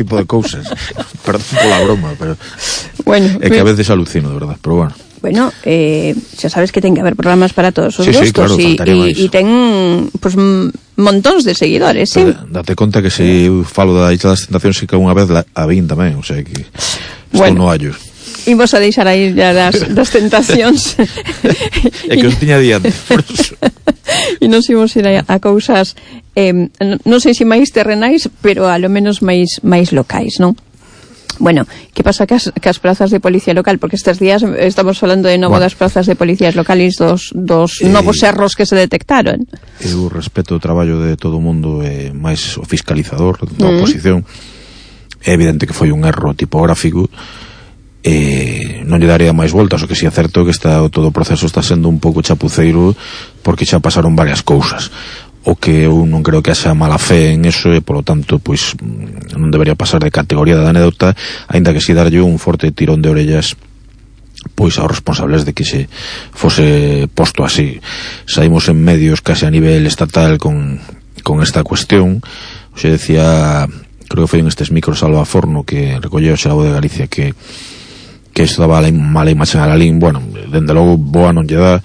tipo de cousas. Perdón pola broma, pero bueno, é que a veces alucino, de verdad, pero bueno. Bueno, xa sabes que ten que haber programas para todos os claro, gustos e ten pues, montóns de seguidores, sí. Date conta que se eu falo da Isla das Tentacións que unha vez a vin tamén, o sea que estou no hallo. Imos a deixar aí ya das tentacións. É que os tiña diante, por eso. E nos imos ir a cousas non sei se máis terrenais, pero a lo menos máis locais, non? Bueno, que pasa cas prazas de policía local? Porque estes días estamos falando de novo das prazas de policías locales dos novos erros que se detectaron. Eu respeto o traballo de todo o mundo, máis o fiscalizador da oposición. É evidente que foi un erro tipográfico, non lle daría máis voltas, o que si é certo que todo o proceso está sendo un pouco chapuceiro porque xa pasaron varias cousas. O que eu non creo que haxa mala fe en eso e, polo tanto, pois non debería pasar de categoría de anécdota, aínda que si darlle un forte tirón de orellas pois aos responsables de que se fose posto así. Saímos en medios case a nivel estatal con esta cuestión. Se decía, creo que foi en estes micros Alba Forno que recolleu o Xerabo de Galicia que isto daba mala imaxe a Lalín. Bueno, dende logo boa non lle dá,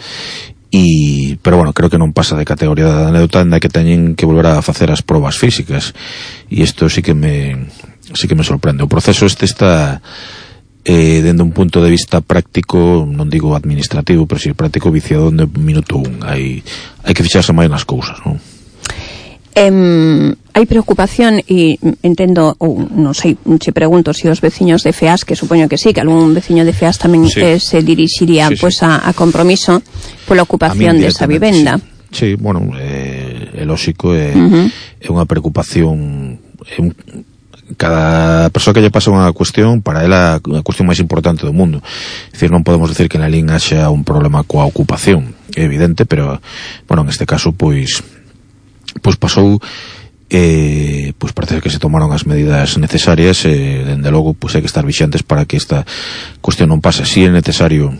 pero bueno, creo que non pasa de categoría de anécdota, ainda que teñen que volver a facer as probas físicas, e isto sí que me sorprende. O proceso está dende un punto de vista práctico, non digo administrativo, pero si práctico, viciado de minuto 1. Hai que fixarse máis nas cousas, non? Hai preocupación e entendo, ou non sei, che pregunto se os veciños de FEAS, que supoño que sí, que algún veciño de FEAS tamén se dirixiría pues a Compromiso pola ocupación desa vivenda. Sí, bueno, é lógico, é unha preocupación. Cada persoa que lle pasa unha cuestión, para ela a cuestión máis importante do mundo. É dicir, non podemos decir que na Lalín haxa un problema coa ocupación, é evidente, pero bueno, en este caso pois pasou, pois parece que se tomaron as medidas necesarias, dende logo pois hai que estar vixantes para que esta cuestión non pase. Si é necesario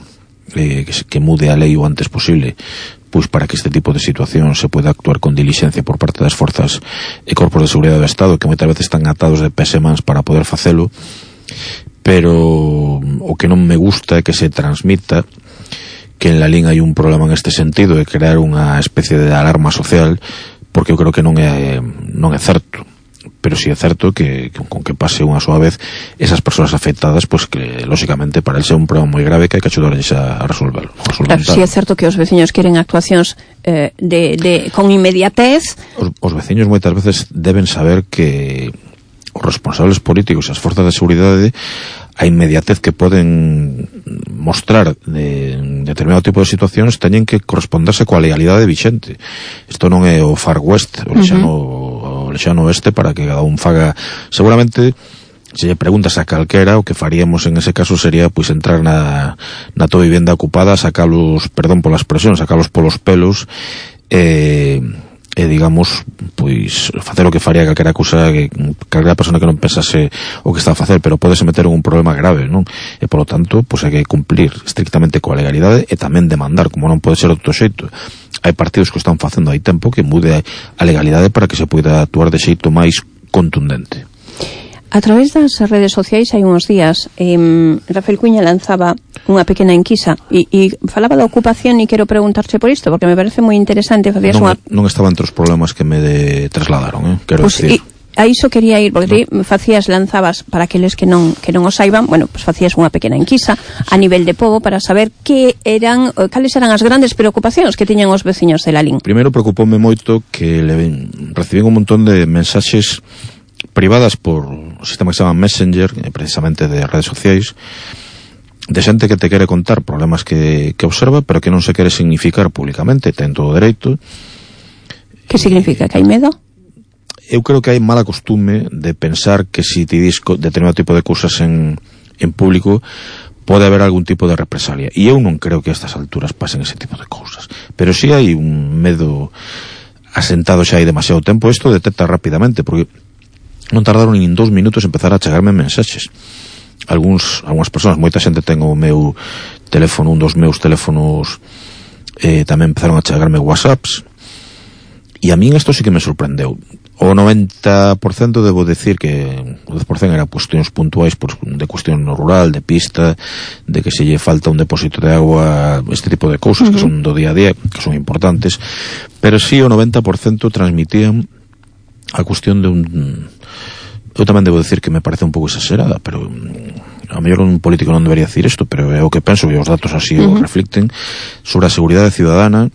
que mude a lei o antes posible, pois para que este tipo de situación se pueda actuar con diligencia por parte das forzas e corpos de seguridade do Estado, que moitas veces están atados de pés e mans para poder facelo. Pero o que non me gusta é que se transmita que en Lalín hai un problema en este sentido, de crear unha especie de alarma social, porque eu creo que non é certo. Pero si é certo que con que pase unha soa vez esas persoas afectadas, pois que lógicamente para el ser un problema moi grave que hai que axudarles a resolverlo. Claro, si é certo que os veciños queren actuacións con inmediatez. Os veciños moitas veces deben saber que os responsables políticos e as forzas de seguridade, a inmediatez que poden mostrar de determinado tipo de situacións teñen que corresponderse coa legalidade vixente. Isto non é o Far West, o lexano oeste, para que cada un faga. Seguramente, se lle preguntas a calquera, o que faríamos en ese caso sería pois entrar na tua vivenda ocupada, sacalos, perdón pola expresión, sacalos polos pelos, digamos, pois facer o que faría calquera cousa, calquera persona que non pensase o que está a facer, pero podese meter en un problema grave, non? E polo tanto, pois hai que cumplir estrictamente coa legalidade e tamén demandar, como non pode ser outro xeito. Hai partidos que o están facendo hai tempo, que mude a legalidade para que se poida actuar de xeito máis contundente. A través das redes sociais hai uns días Rafael Cuña lanzaba unha pequena enquisa e falaba da ocupación, e quero preguntarche por isto porque me parece moi interesante. Non estaba entre os problemas que me trasladaron, quero decir. A iso quería ir, porque lanzabas, para aqueles que non o saiban, bueno, pues facías unha pequena enquisa a nivel de pobo para saber cales eran as grandes preocupacións que tiñan os veciños de Lalín. Primeiro preocupoume moito que recibín un montón de mensaxes privadas por o sistema que se chama Messenger, precisamente de redes sociais, de xente que te quere contar problemas que observa, pero que non se quere significar públicamente, ten todo o dereito. Que significa? Que hai medo? Eu creo que hai mala costume de pensar que si te dis determinado tipo de cousas en público pode haber algún tipo de represalia, e eu non creo que a estas alturas pasen ese tipo de cousas, pero si hai un medo asentado xa hai demasiado tempo. Isto detecta rapidamente, porque non tardaron nin 2 minutos en empezar a chegarme mensaxes. Algúnas persoas, moita xente ten o meu teléfono, un dos meus teléfonos, tamén empezaron a chegarme whatsapps, e a min isto sí que me sorprendeu. O 90% debo decir que o 10% eran cuestións puntuais de cuestión rural, de pista, de que se lle falta un depósito de agua, este tipo de cousas que son do día a día, que son importantes, pero sí o 90% transmitían a cuestión de un... Eu tamén debo decir que me parece un pouco exagerada, pero a mellor un político non debería decir isto, pero é o que penso, e os datos así o reflicten, sobre a seguridade ciudadana,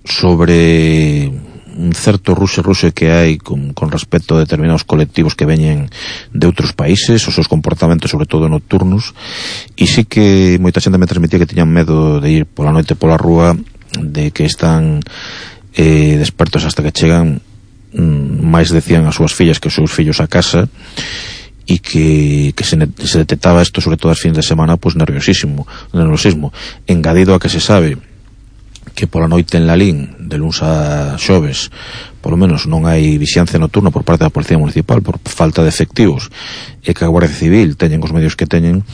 sobre un certo ruxe que hai con respecto a determinados colectivos que veñen de outros países, os seus comportamentos sobre todo nocturnos, e sí que moita xente me transmitía que tiñan medo de ir pola noite pola rúa, de que están despertos hasta que chegan, máis decían as súas fillas que os seus fillos a casa, e que se detectaba isto sobre todo as fins de semana, pues nerviosismo, engadido a que se sabe que pola noite en Lalín, de luns a xoves, polo menos non hai vixiancia nocturna por parte da Policía Municipal por falta de efectivos, e que a Guardia Civil teñen os medios que teñen,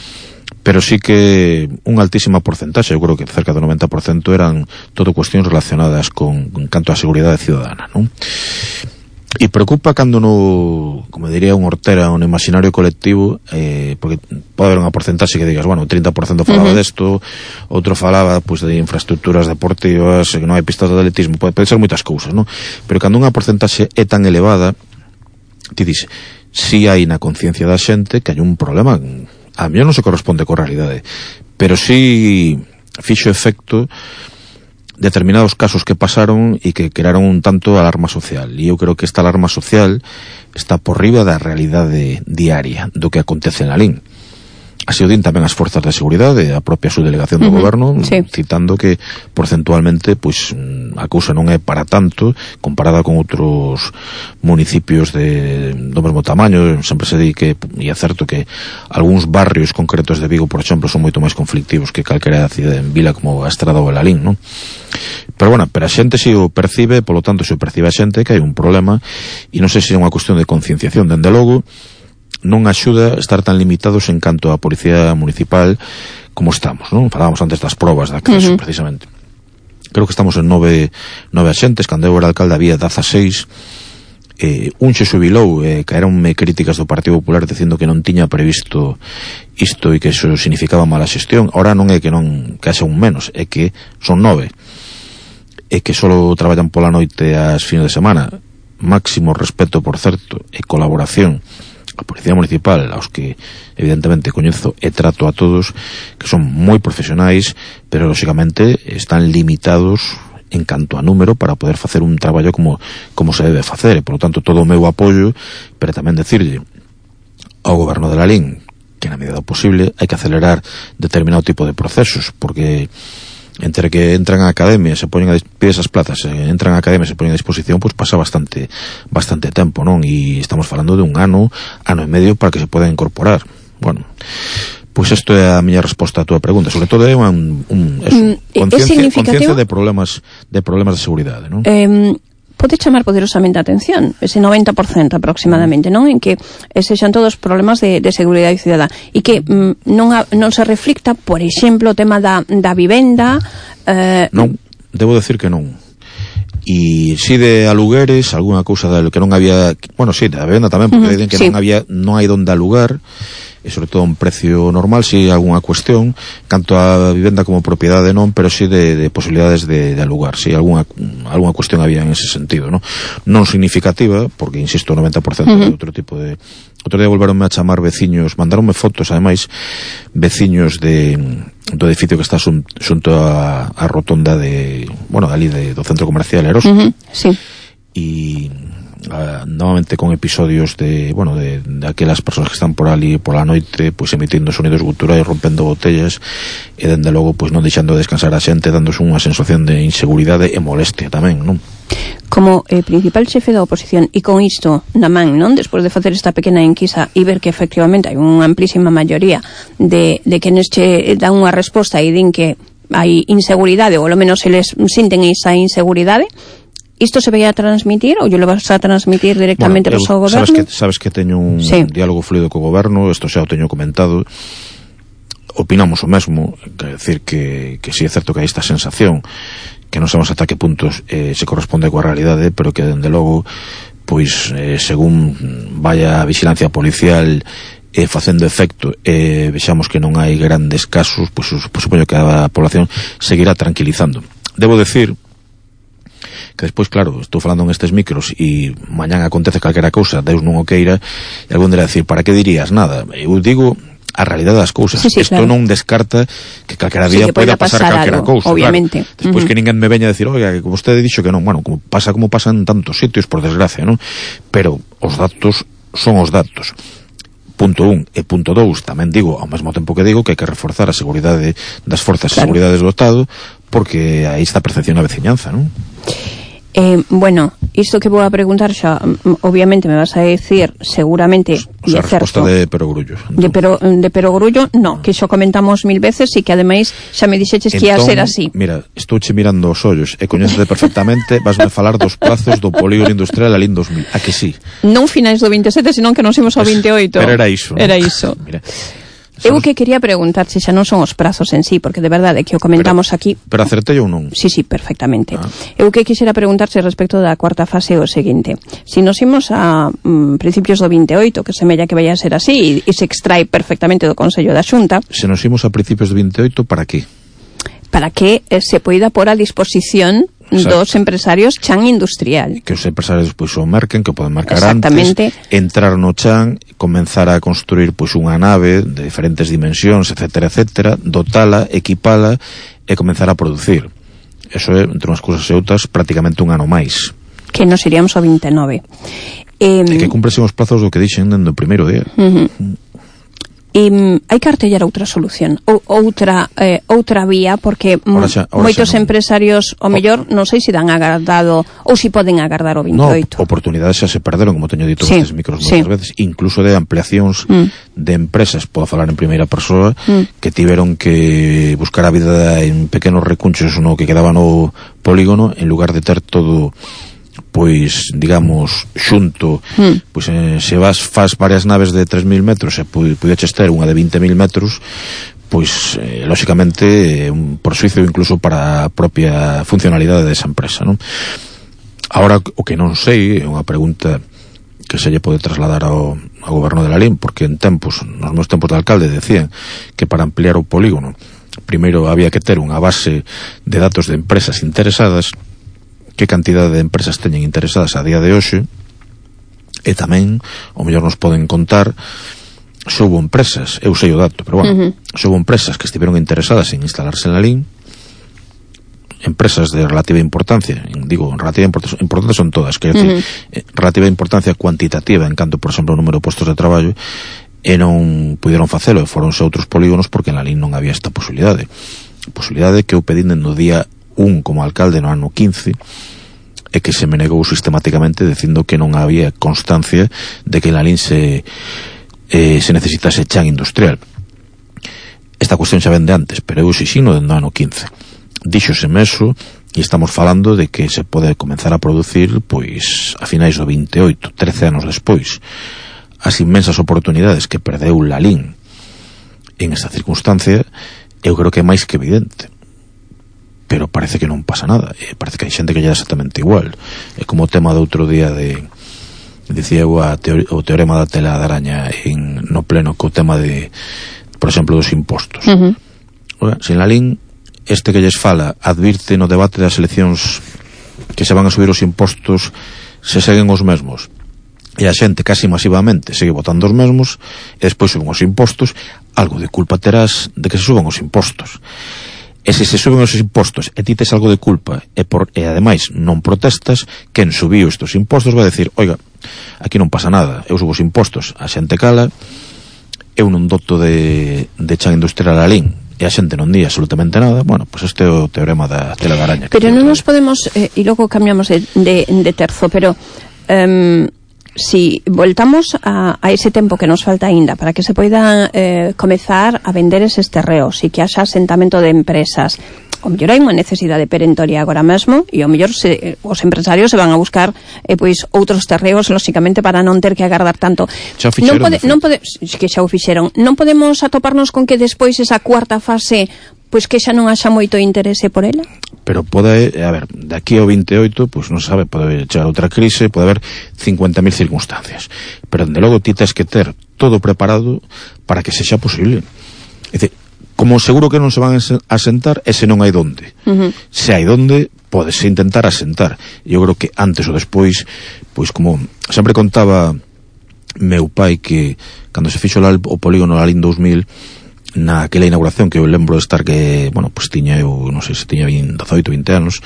pero sí que unha altísima porcentaxe, eu creo que cerca do 90% eran todo cuestións relacionadas con canto a seguridade ciudadana, non? E preocupa cando como diría un Ortera, un imaginario colectivo, porque pode haber unha porcentaxe que digas, bueno, 30% falaba desto, outro falaba pues, de infraestructuras deportivas, que non hai pistas de atletismo, pode ser moitas cousas, non? Pero cando unha porcentaxe é tan elevada, ti dices, si hai na conciencia da xente que hai un problema, a mí non se corresponde coa realidade, pero si fixo efecto determinados casos que pasaron e que crearon un tanto alarma social, e eu creo que esta alarma social está por riba da realidade diaria do que acontece en Lalín. Así o din tamén as forzas de seguridade, a propia subdelegación do goberno, citando que porcentualmente pois a cousa non é para tanto comparada con outros municipios do mesmo tamaño. Sempre se di que, e é certo que algúns barrios concretos de Vigo, por exemplo, son moito máis conflictivos que calquera cidade en vila como a Estrada ou Lalín, non? Pero bueno, pero a xente se o percibe, polo tanto se o percibe a xente que hai un problema, e non sei se é unha cuestión de concienciación, dende logo non axuda estar tan limitados en canto a Policía Municipal como estamos, non? Falábamos antes das probas de acceso, precisamente. Creo que estamos en 9 axentes, cando eu era alcalde había 16, un xe xubilou, caeronme críticas do Partido Popular dicindo que non tiña previsto isto e que iso significaba mala xestión. Ahora non é que haxa un menos, é que son 9, e que só traballan pola noite as fines de semana. Máximo respeto, por certo, e colaboración a Policía Municipal, aos que evidentemente coñezo e trato a todos, que son moi profesionais, pero lógicamente están limitados en canto a número para poder facer un traballo como se debe facer, e polo tanto todo o meu apoio, pero tamén decirlle ao goberno de Lalín que na medida do posible hai que acelerar determinado tipo de procesos, porque entre que entran a academia, se poñen pide esas plazas, entran a academia, se poñen a disposición, pois pasa bastante tempo, non? E estamos falando de un ano e medio para que se poda incorporar. Bueno, pois isto é a miña resposta a túa pregunta. Sobre todo é conciencia de problemas de seguridade, non? Pode chamar poderosamente a atención ese 90% aproximadamente, non? En que sexan todos problemas de seguridade cidadá e que non se reflicta, por exemplo, o tema da vivenda. Non, debo decir que non. E si de alugueres, algunha cousa que non había, bueno, si, da vivenda tamén, porque dicen que non hai donde alugar, e sobre todo un precio normal, si algunha cuestión, canto a vivenda como propiedade non, pero si de posibilidades de alugar, si algunha cuestión había en ese sentido, non significativa, porque insisto, 90% de outro tipo de... Outro día volveronme a chamar veciños, mandaronme fotos, ademais, veciños do edificio que está xunto a rotonda do centro comercial Eros, e novamente con episodios de aquelas persoas que están por ali pola noite, pois emitindo sonidos guturais, rompendo botellas, e dende logo pois non deixando descansar a xente, dándose unha sensación de inseguridade e molestia tamén, non? Como principal xefe da oposición, e con isto na man, non? Despois de facer esta pequena enquisa e ver que efectivamente hai unha amplísima maioría de quenes che dan unha resposta e din que hai inseguridade, ou ao menos eles sinten esa inseguridade, isto se vai a transmitir ou yo lo vas a transmitir directamente ao seu goberno? Sabes que teño un diálogo fluido co goberno, isto xa o teño comentado, opinamos o mesmo, quer decir que si é certo que hai esta sensación que non sabemos ata que puntos se corresponde coa realidade, pero que dende logo pois según vaya a vigilancia policial facendo efecto vexamos que non hai grandes casos, pois supoño que a población seguirá tranquilizando. Debo decir que despois, claro, estou falando en estes micros e mañán acontece calquera cousa, Deus non o queira, e algún dirá decir, para que dirías nada? Eu digo a realidade das cousas. Isto claro. Non descarta que calquera día poida pasar calquera cousa, obviamente. Claro. Despois que ninguén me veña a decir, oiga, que vostede dixo que non, bueno, como pasa en tantos sitios, por desgracia, non? Pero os datos son os datos. Punto 1 e punto 2, tamén digo, ao mesmo tempo que digo, que hai que reforzar a seguridade das forzas de seguridade do Estado, porque aí está a percepción da veciñanza, non? Bueno, isto que vou a preguntar xa, obviamente me vas a decir seguramente, e é certo, de perogrullo de perogrullo, no, que xo comentamos 1000 veces e que ademais xa me dixeches que ia ser así. Mira, estou mirando os ollos e coñécete perfectamente, vasme falar dos plazos do polígono industrial Lalín 2000, a que sí? Non finais do 27, senón que nos imos ao 28. Pero era iso, ¿no? Era iso. Mira, eu que quería preguntar se xa non son os prazos en sí, porque de verdade que o comentamos aquí. Pero acertei ou non? Sí, perfectamente. Eu que quixera preguntarse respecto da cuarta fase o seguinte. Si nos imos a principios do 28, que semella que vai a ser así, e se extrae perfectamente do Consello da Xunta. Se nos imos a principios do 28, para que? Para que se poida pôr a disposición dos empresarios chan industrial. Que os empresarios pois o merquen, que poden marcar antes, entrar no chan, comenzar a construir pois unha nave de diferentes dimensións, etcétera, dotala, equipala e comenzar a producir. Eso é, entre unhas cousas e outras, prácticamente un ano máis. Que nos iríamos ao 29. E que cumpresen os plazos do que dixen dentro do primeiro día. Hai que artellar outra solución, outra vía, porque moitos empresarios o mellor non sei se dan agardado ou se poden agardar o 28. No, oportunidades xa se perderon, como teño dito nestes micros moitas veces, incluso de ampliacións de empresas, podo falar en primeira persoa, que tiveron que buscar a vida en pequenos recunchos no que quedaba no polígono, en lugar de ter todo pois, digamos, xunto, pois se faz varias naves de 3.000 metros e pudeches ter unha de 20.000 metros, pois, lóxicamente, un persuicio incluso para a propia funcionalidade desa empresa, non? Ahora, o que non sei, é unha pregunta que se lle pode trasladar ao goberno de Lalín, porque nos meus tempos de alcalde decían que para ampliar o polígono primeiro había que ter unha base de datos de empresas interesadas, que cantidade de empresas teñen interesadas a día de hoxe, e tamén o mellor nos poden contar se houbo empresas, eu sei o dato, pero bueno, se houbo empresas que estiveron interesadas en instalarse en Lalín, empresas de relativa importancia, digo, relativa importancia son todas, quero decir, relativa importancia cuantitativa en canto, por exemplo, o número de postos de traballo, e non puderon facelo, e foronse a outros polígonos porque en Lalín non había esta posibilidade que eu pedín no día 1 como alcalde no ano 15, e que se me negou sistematicamente dicindo que non había constancia de que en Lalín se necesitase chan industrial. Esta cuestión xa vende antes, pero eu xixino no ano 15. Díxoseme eso, e estamos falando de que se pode comenzar a producir pois a finais do 28, 13 anos despois. As inmensas oportunidades que perdeu Lalín en esta circunstancia, eu creo que é máis que evidente. Pero parece que non pasa nada, parece que hai xente que lle dá exactamente igual. É como o tema do outro día dicía eu o teorema da tela de araña no pleno co tema de, por exemplo, dos impostos. Se en Lalín este que lles fala advirte no debate das eleccións que se van a subir os impostos se seguen os mesmos, e a xente casi masivamente segue votando os mesmos, e despois suben os impostos, algo de culpa terás de que se suban os impostos. E se suben os impostos e ti tes algo de culpa e ademais non protestas, quen subiu estos impostos vai decir, oiga, aquí non pasa nada, eu subo os impostos, a xente cala, eu non doto de chan industrial a Lalín e a xente non di absolutamente nada. Bueno, pois este é o teorema da tela de araña. Pero non nos podemos, e logo cambiamos de terzo, pero si voltamos a ese tempo que nos falta aínda para que se poida comezar a vender eses terreos e que haxa asentamento de empresas, o mellor hai unha necesidade perentoria agora mesmo, e o mellor os empresarios se van a buscar pois outros terreos, lóxicamente, para non ter que agardar tanto. Non que xa o fixeron. Non podemos atoparnos con que despois esa cuarta fase pois que xa non haxa moito interese por ela? Pero pode, a ver, de aquí ao 28, pois non se sabe, pode chegar outra crise, pode haber 50.000 circunstancias. Pero, dende logo, ti tens que ter todo preparado para que sexa posible. É dicir, como seguro que non se van a sentar, ese non hai donde. Se hai donde, podese intentar asentar. Eu creo que antes ou despois, pois como sempre contaba meu pai, que cando se fixo o polígono Lalín 2000, naquela inauguración, que eu lembro de estar, que, bueno, pues tiña eu, non sei se tiña 18, 20 anos,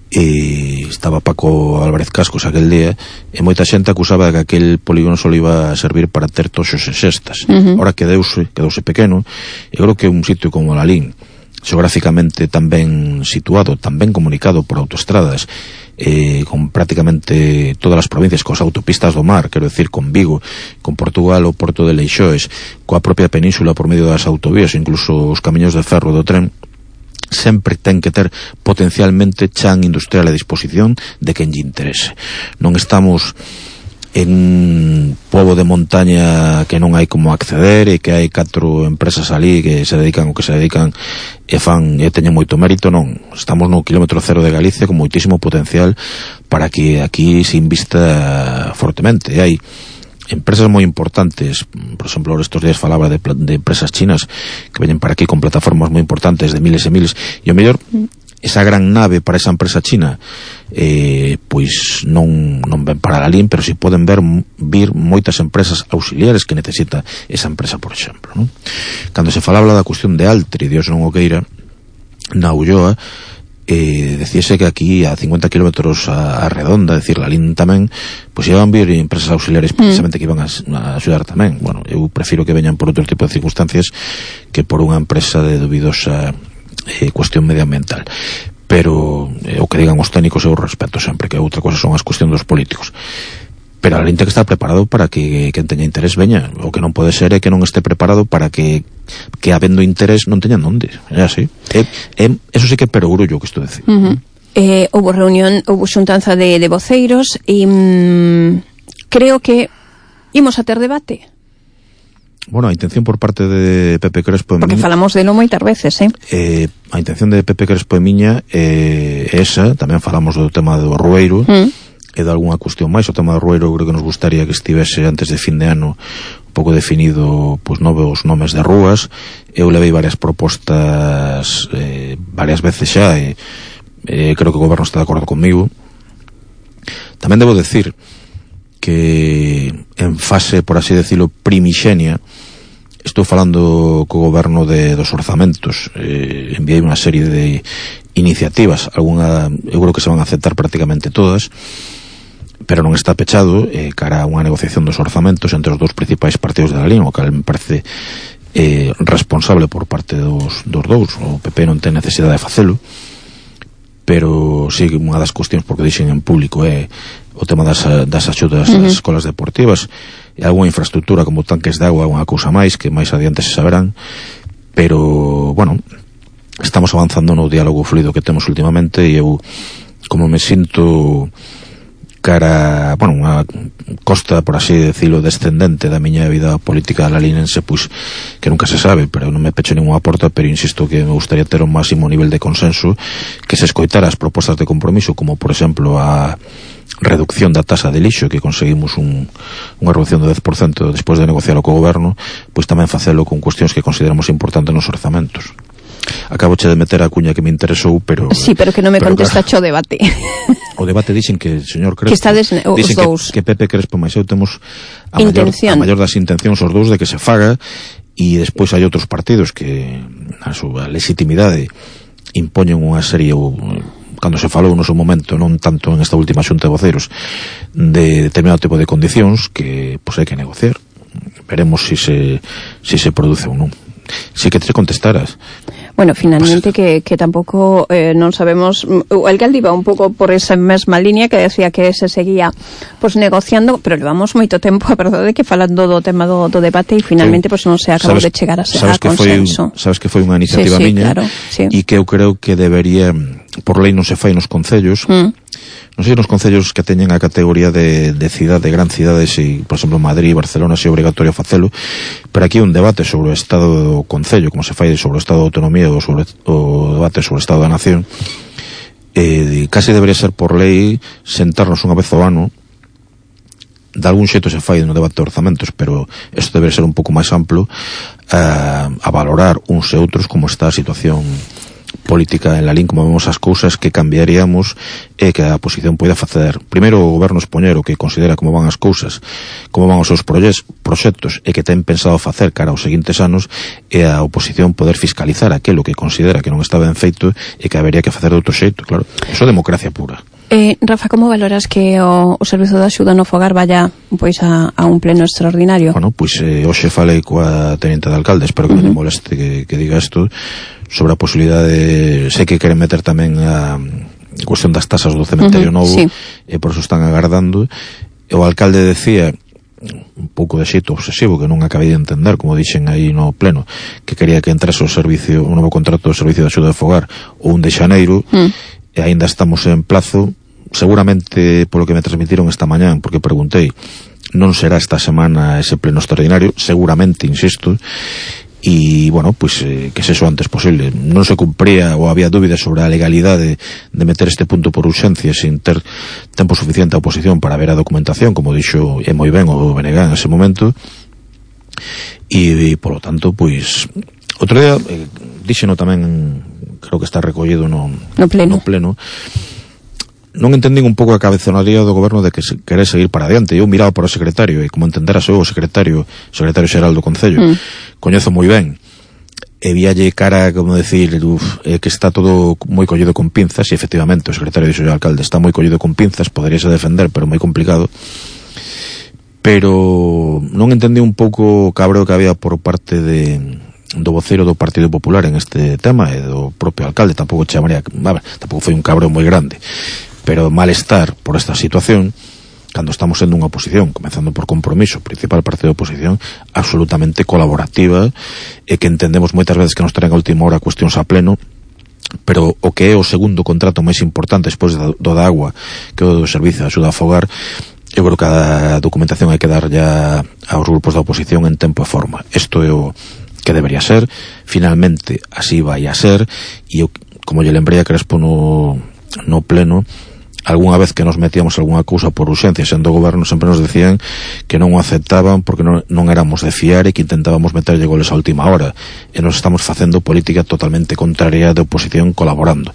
e estaba Paco Álvarez Cascos aquel día, e moita xente acusaba que aquel polígono só iba a servir para ter toxos e cestas. Ahora quedouse pequeno, e creo que un sitio como Lalín, xeográficamente tan ben situado, tan ben comunicado por autoestradas, con prácticamente todas as provincias, cos autopistas do mar, quero decir, con Vigo, con Portugal, o Porto de Leixoes, coa propia península por medio das autovías, incluso os camiños de ferro do tren, sempre ten que ter potencialmente chan industrial a disposición de quen lle interese. Non estamos en pobo de montaña que non hai como acceder, e que hai 4 empresas ali que se dedican o que se dedican e fan e teñen moito mérito. Non, estamos no kilómetro cero de Galicia con moitísimo potencial para que aquí se invista fortemente. E hai empresas moi importantes, por exemplo, estos días falaba de empresas chinas que veñen para aquí con plataformas moi importantes de miles e miles, e o mellor esa gran nave para esa empresa china pois non ven para Lalín, pero si poden vir moitas empresas auxiliares que necesita esa empresa, por exemplo, non? Cando se falaba da cuestión de Altri, Dios non o queira, na Ulloa, decíase que aquí a 50 kilómetros a redonda, decir, Lalín tamén, pois iban vir empresas auxiliares precisamente que iban a axudar tamén. Bueno, eu prefiro que veñan por outro tipo de circunstancias que por unha empresa de dubidosa cuestión medioambiental. Pero o que digan os técnicos eu respeto sempre, que outra cosa son as cuestións dos políticos. Pero a lente que está preparado para que quen teña interés veña. O que non pode ser é que non esté preparado para que habendo interés non teñan onde. É así. Eso sí que é perogrullo que isto dice. Houve reunión, houve xuntanza de voceiros e creo que imos a ter debate. Bueno, a intención por parte de Pepe Crespo porque falamos de lo moitas veces, a intención de Pepe Crespo e miña esa, tamén falamos do tema do Rueiro e de algunha cuestión máis. O tema do Rueiro creo que nos gustaría que estivese antes de fin de ano un pouco definido, pois, novos nomes de rúas. Eu levei varias propostas varias veces xa e creo que o goberno está de acordo comigo. Tamén debo decir que en fase, por así decirlo, primixenia, estou falando co goberno dos orzamentos. Enviei unha serie de iniciativas, eu creo que se van a aceptar prácticamente todas, pero non está pechado cara a unha negociación dos orzamentos entre os dous principais partidos de Lalín, o que me parece responsable por parte dos dous. O PP non ten necesidade de facelo, pero sí, unha das cuestións, porque dixen en público, é o tema das axudas das escolas deportivas e algunha infraestructura como tanques de agua, unha cousa máis que máis adiante se saberán. Pero, bueno, estamos avanzando no diálogo fluido que temos últimamente, e eu, como me sinto cara, bueno, unha costa, por así decirlo, descendente da miña vida política lalinense, pois que nunca se sabe, pero non me pecho ninguna porta, pero insisto que me gustaría ter un máximo nivel de consenso, que se escoitara as propostas de compromiso, como por exemplo a reducción da tasa de lixo, que conseguimos unha reducción do 10% despois de negociarlo co goberno, pois tamén facelo con cuestións que consideramos importantes nos orzamentos. Acabo de meter a cuña que me interesou, pero sí, pero que non me contesta claro, o debate. O debate dixen que, señor Crespo, que estades os dous, que Pepe Crespo máis eu temos a maior das intencións os dous de que se faga, e despois hai outros partidos que a súa legitimidade impoñen unha serie, cando se falou no seu momento, non tanto en esta última xunta de voceiros, de determinado tipo de condicións que pois hai que negociar. Veremos si se produce ou non. Si que te contestaras. Bueno, finalmente que tampouco non sabemos, o alcalde iba un pouco por esa mesma línea, que decía que se seguía pues negociando, pero levamos moito tempo, a verdade, que falando do tema do debate, e finalmente pues non se acabou de chegar a consenso. Sabes que foi unha iniciativa miña, claro, sí. E que eu creo que debería, por lei non se fai nos concellos, non sei nos concellos que teñen a categoría de cidade, de gran cidade, se, por exemplo, Madrid e Barcelona se é obrigatorio facelo, pero aquí un debate sobre o estado do concello, como se fai sobre o estado de autonomía ou sobre o debate sobre o estado da nación, casi debería ser por lei sentarnos unha vez ao ano. De algún xeito se fai no debate de orzamentos, pero isto debería ser un pouco máis amplo, a valorar uns e outros como está a situación política en Lalín, como vemos as cousas que cambiaríamos e que a oposición poida facer. Primeiro o goberno español que considera como van as cousas, como van os seus proxectos e que ten pensado facer cara aos seguintes anos, e a oposición poder fiscalizar aquilo que considera que non está ben feito e que habería que facer de outro xeito, claro. Eso é democracia pura. Rafa, como valoras que o Servizo de Axuda no Fogar vaya pois a un pleno extraordinario? Bueno, pois hoxe falei coa teniente de alcalde, espero que non me moleste que diga isto, sobre a posibilidade, sei que queren meter tamén a cuestión das tasas do cementerio novo, sí. E por eso están agardando. O alcalde decía un pouco de xeito obsesivo, que non acabei de entender, como dixen aí no pleno, que quería que entrase o servicio, un novo contrato do Servicio de Axuda de Fogar o 1 de xaneiro, e aínda estamos en plazo. Seguramente, polo que me transmitiron esta mañán, porque preguntei, non será esta semana ese pleno extraordinario, seguramente, insisto, e, bueno, pois que sexo antes posible. Non se cumpría ou había dúbidas sobre a legalidade de meter este punto por urxencia sin ter tempo suficiente a oposición para ver a documentación, como dixo moi ben o BNG en ese momento, e, polo tanto, pois outro día díxeno tamén, creo que está recollido no pleno. Non entendín un pouco a cabezonaría do goberno de que se quere seguir para adiante. Eu miraba para o secretario, e como entenderas eu, o secretario xeral do Concello, coñezo moi ben, e víalle cara, como decir, que está todo moi collido con pinzas, e efectivamente o secretario dixo ao alcalde, está moi collido con pinzas, poderíase defender, pero moi complicado. Pero non entendí un pouco o cabreo que había por parte do voceiro do Partido Popular en este tema, e do propio alcalde. Tampouco foi un cabreo moi grande, pero malestar por esta situación, cando estamos sendo unha oposición, comenzando por Compromiso, principal partido de oposición, absolutamente colaborativa, e que entendemos moitas veces que nos traen a última hora cuestións a pleno, pero o que é o segundo contrato máis importante despois do da agua, que é o do Servicio de Axuda a Fogar, eu creo que a documentación hai que dar ya aos grupos da oposición en tempo e forma. Isto é o que debería ser, finalmente así vai a ser, e eu, como lle lembrei a Crespo no pleno, algunha vez que nos metíamos algunha cousa por urxencia sendo goberno, sempre nos decían que non o aceptaban porque non éramos de fiar e que intentábamos meterlle goles a última hora, e nos estamos facendo política totalmente contraria de oposición colaborando.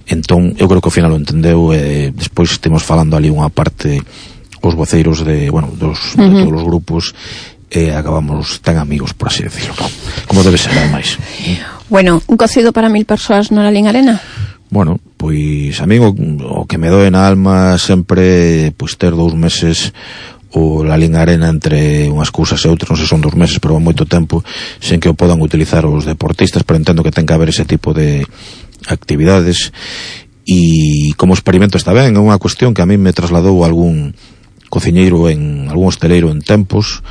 Entón, eu creo que ao final o entendeu, e despois estemos falando ali unha parte os voceiros de todos os grupos, e acabamos tan amigos, por así decirlo, como debe ser, ademais. Bueno, un cocido para 1000 persoas no Lalín Arena? Bueno, pois a mí o que me doe na alma sempre pois ter 2 meses o Lalín Arena entre unhas cousas e outras, non sei se son 2 meses, pero moito tempo sen que o podan utilizar os deportistas, pero entendo que ten que haber ese tipo de actividades, e como experimento está ben. É unha cuestión que a mí me trasladou algún cociñeiro, algún hosteleiro en tempos,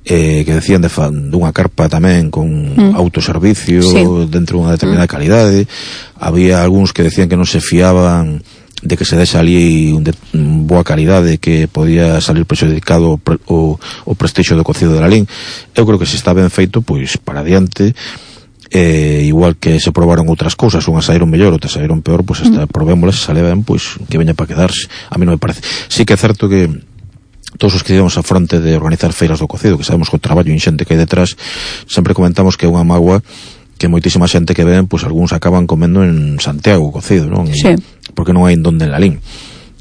que decían dunha carpa tamén con autoservicio, sí, dentro dunha determinada calidade. Había algúns que decían que non se fiaban de que se deixa ali boa calidade, que podía salir prexudicado o prestixio do cocido de Lalín. Eu creo que se está ben feito, pois para adiante. Igual que se probaron outras cousas, unhas saíron mellor, outras saíron peor, pois probémolas, se sale ben, pois que veña para quedarse. A mí non me parece. Sí que é certo que todos os que íbamos a fronte de organizar feiras do cocido, que sabemos que o traballo inxente que hai detrás, sempre comentamos que é unha mágoa que moitísima xente que ven, pois algúns acaban comendo en Santiago o cocido, non? Sí. Porque non hai en donde en Lalín.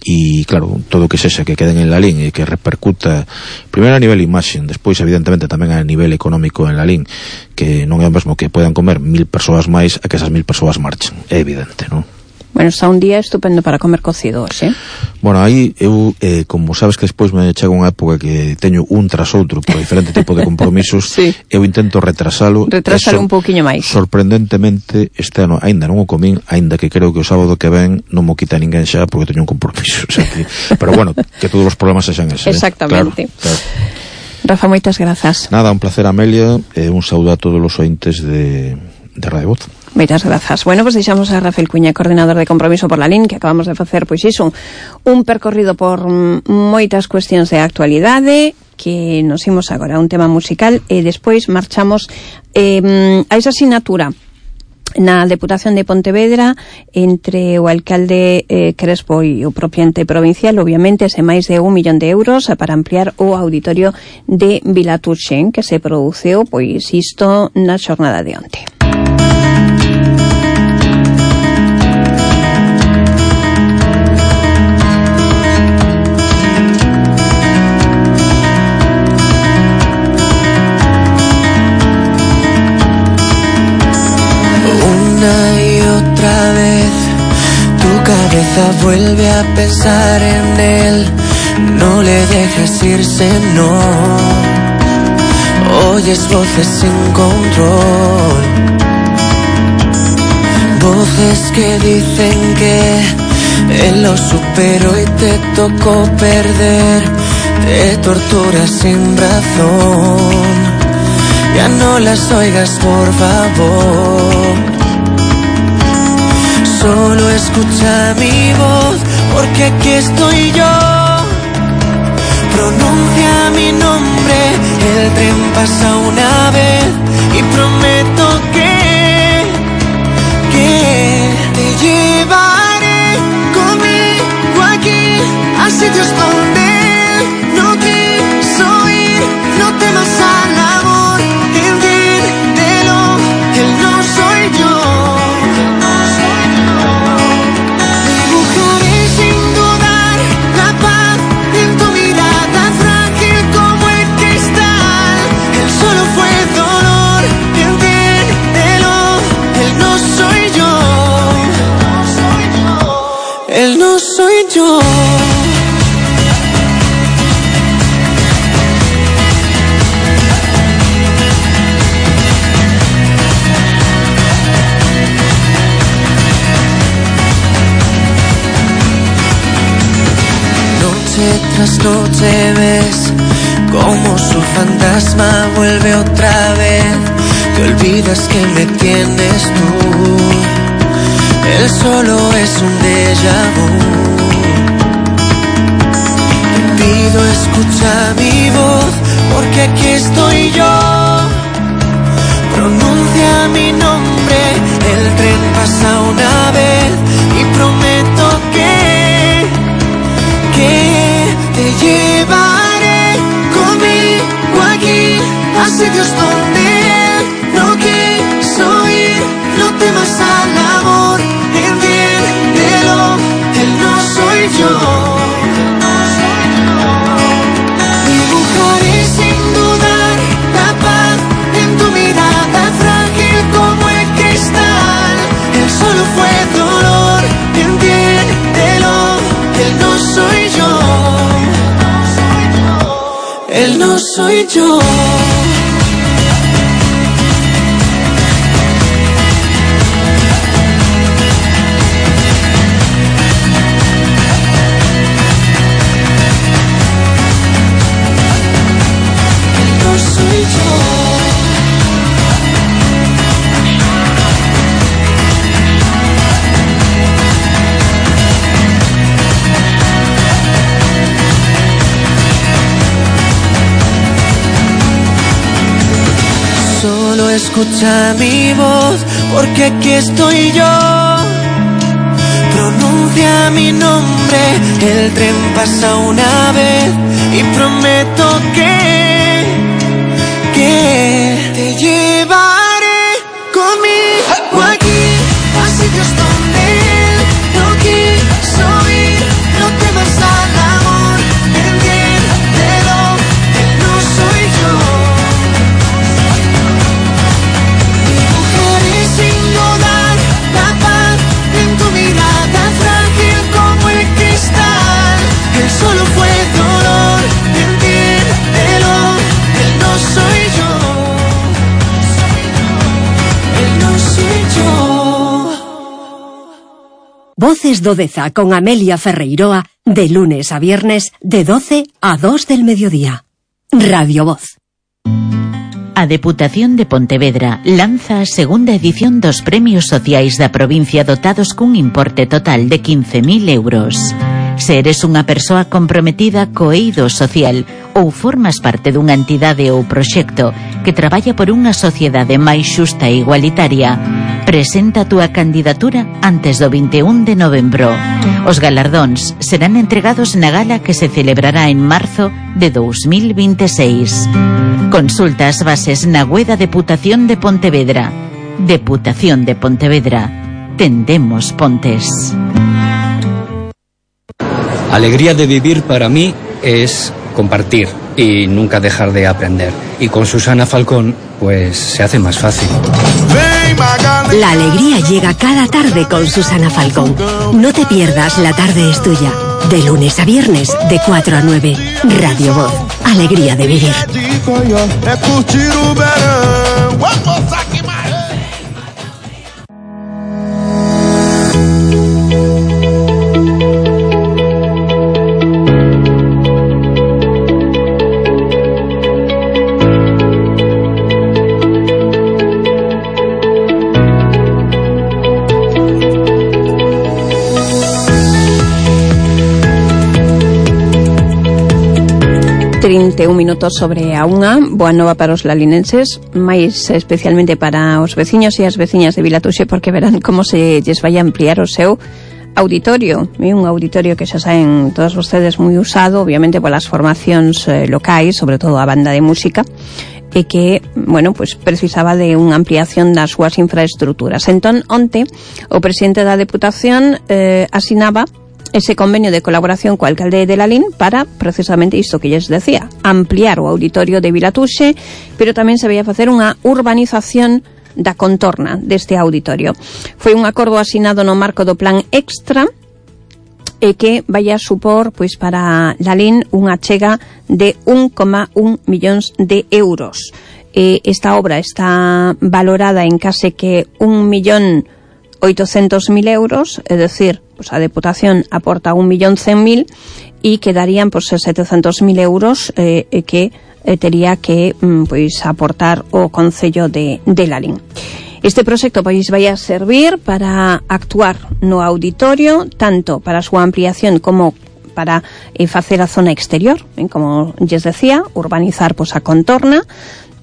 E claro, todo o que sexa que queden en Lalín e que repercuta primeiro a nivel imaxe, despois evidentemente tamén a nivel económico en Lalín, que non é o mesmo que podan comer 1000 persoas máis a que esas 1000 persoas marchen, é evidente, non? Bueno, está un día estupendo para comer cocido, ¿sí? Bueno, aí eu, como sabes que despois me chega unha época que teño un tras outro por diferente tipo de compromisos, sí, eu intento retrasalo un pouquiño máis. Sorprendentemente este ano aínda non o comín, aínda que creo que o sábado que ven non mo quita ninguén xa porque teño un compromiso, o sea que, pero bueno, que todos os problemas sexan ese. Exactamente. Claro. Rafa, moitas grazas. Nada, un placer, Amelia, un saúdo a todos os ointes de Radio Voz. Moitas grazas. Bueno, pois deixamos a Rafael Cuña, coordinador de Compromiso por la LIN, que acabamos de facer, pois iso, un percorrido por moitas cuestións de actualidade, que nos imos agora a un tema musical e despois marchamos a esa asignatura na Deputación de Pontevedra entre o alcalde Crespo e o propio ente provincial, obviamente, ese máis de 1 millón de euros para ampliar o auditorio de Vilaturxen, que se produceu, pois isto na xornada de onte. Y otra vez tu cabeza vuelve a pensar en él, no le dejes irse, no. Oyes voces sin control, voces que dicen que él lo superó y te tocó perder, te torturas sin razón, ya no las oigas por favor. Solo escucha mi voz, porque aquí estoy yo. Pronuncia mi nombre, el tren pasa una vez y prometo que te llevaré conmigo aquí a sitios donde él no quiso ir. No temas al amor, entiéndelo, él no soy yo. Él no soy yo. Noche tras noche ves como su fantasma vuelve otra vez. Te olvidas que me tienes tú. Él solo es un déjà vu. Te pido escucha mi voz, porque aquí estoy yo. Pronuncia mi nombre, el tren pasa una vez y prometo que te llevaré conmigo aquí a sitios donde él no quiso ir. No temas al amor, entiéndelo, él no soy yo. Dibujaré sin dudar la paz en tu mirada frágil como el cristal. Él solo fue dolor, entiéndelo, él no soy yo. Él no soy yo. Solo escucha mi voz, porque aquí estoy yo. Pronuncia mi nombre, el tren pasa una vez y prometo que te llevaré conmigo aquí a sitios donde él no quiso ir. No temas al amor, entiéndelo, él no soy yo. Dibujaré sin dudar la paz en tu mirada frágil como el cristal. Él solo fue dolor, entiéndelo, él no soy yo. Él no soy yo. Voces do Deza con Amelia Ferreiroa, de lunes a viernes, de 12 a 2 del mediodía. Radio Voz. A Deputación de Pontevedra lanza a segunda edición dos Premios Sociais da provincia dotados cun importe total de 15.000 euros. Se eres unha persoa comprometida co eido social ou formas parte dunha entidade ou proxecto que traballa por unha sociedade máis xusta e igualitaria, presenta a túa candidatura antes do 21 de novembro. Os galardóns serán entregados na gala que se celebrará en marzo de 2026. Consulta as bases na web da Deputación de Pontevedra. Deputación de Pontevedra. Tendemos pontes. Alegría de vivir para mí es compartir y nunca dejar de aprender. Y con Susana Falcón, pues se hace más fácil. La alegría llega cada tarde con Susana Falcón. No te pierdas La Tarde es Tuya. De lunes a viernes, de 4 a 9. Radio Voz. Alegría de vivir. Un minuto sobre a unha. Boa nova para os lalinenses, máis especialmente para os veciños e as veciñas de Vilatuxe, porque verán como se lles vai a ampliar o seu auditorio. Un auditorio que xa saen todos vostedes moi usado, obviamente polas formacións locais, sobre todo a banda de música, e que, bueno, pues precisaba de unha ampliación das súas infraestructuras. Entón, onte, o presidente da Deputación asinaba ese convenio de colaboración co alcalde de Lalín para precisamente isto que lles decía, ampliar o auditorio de Vilatuxe, pero tamén se vai a facer unha urbanización da contorna deste auditorio. Foi un acordo asinado no marco do plan extra e que vai a supor, pois, para Lalín unha chega de 1,1 millóns de euros. Esta obra está valorada en case que 1.800.000 euros, é dicir, pues a Deputación aporta 1.100.000 e quedarían pues 700.000 euros que tería que pois aportar o Concello de Lalín. Este proxecto pois vai a servir para actuar no auditorio, tanto para a súa ampliación como para facer a zona exterior, como lles decía, urbanizar pois a contorna,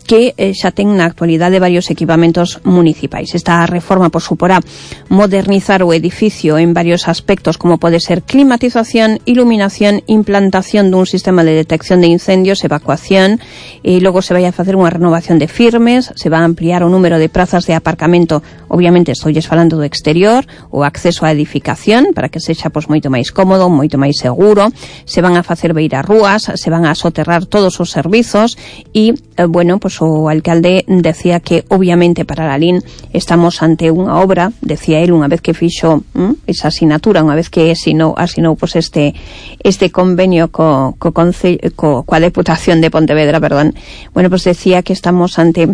que xa ten na actualidade varios equipamentos municipais. Esta reforma suporá modernizar o edificio en varios aspectos, como pode ser climatización, iluminación, implantación dun sistema de detección de incendios, evacuación, e logo se vai a facer unha renovación de firmes, se va a ampliar o número de prazas de aparcamento, obviamente estoulles falando do exterior, o acceso á edificación, para que sexa moito máis cómodo, moito máis seguro, se van a facer beirarrúas, se van a soterrar todos os servizos e, bueno, o alcalde decía que obviamente para Lalín estamos ante unha obra, decía él, unha vez que fixo esa asignatura, unha vez que asinou pues este convenio coa Deputación de Pontevedra, perdón. Bueno, pues decía que estamos ante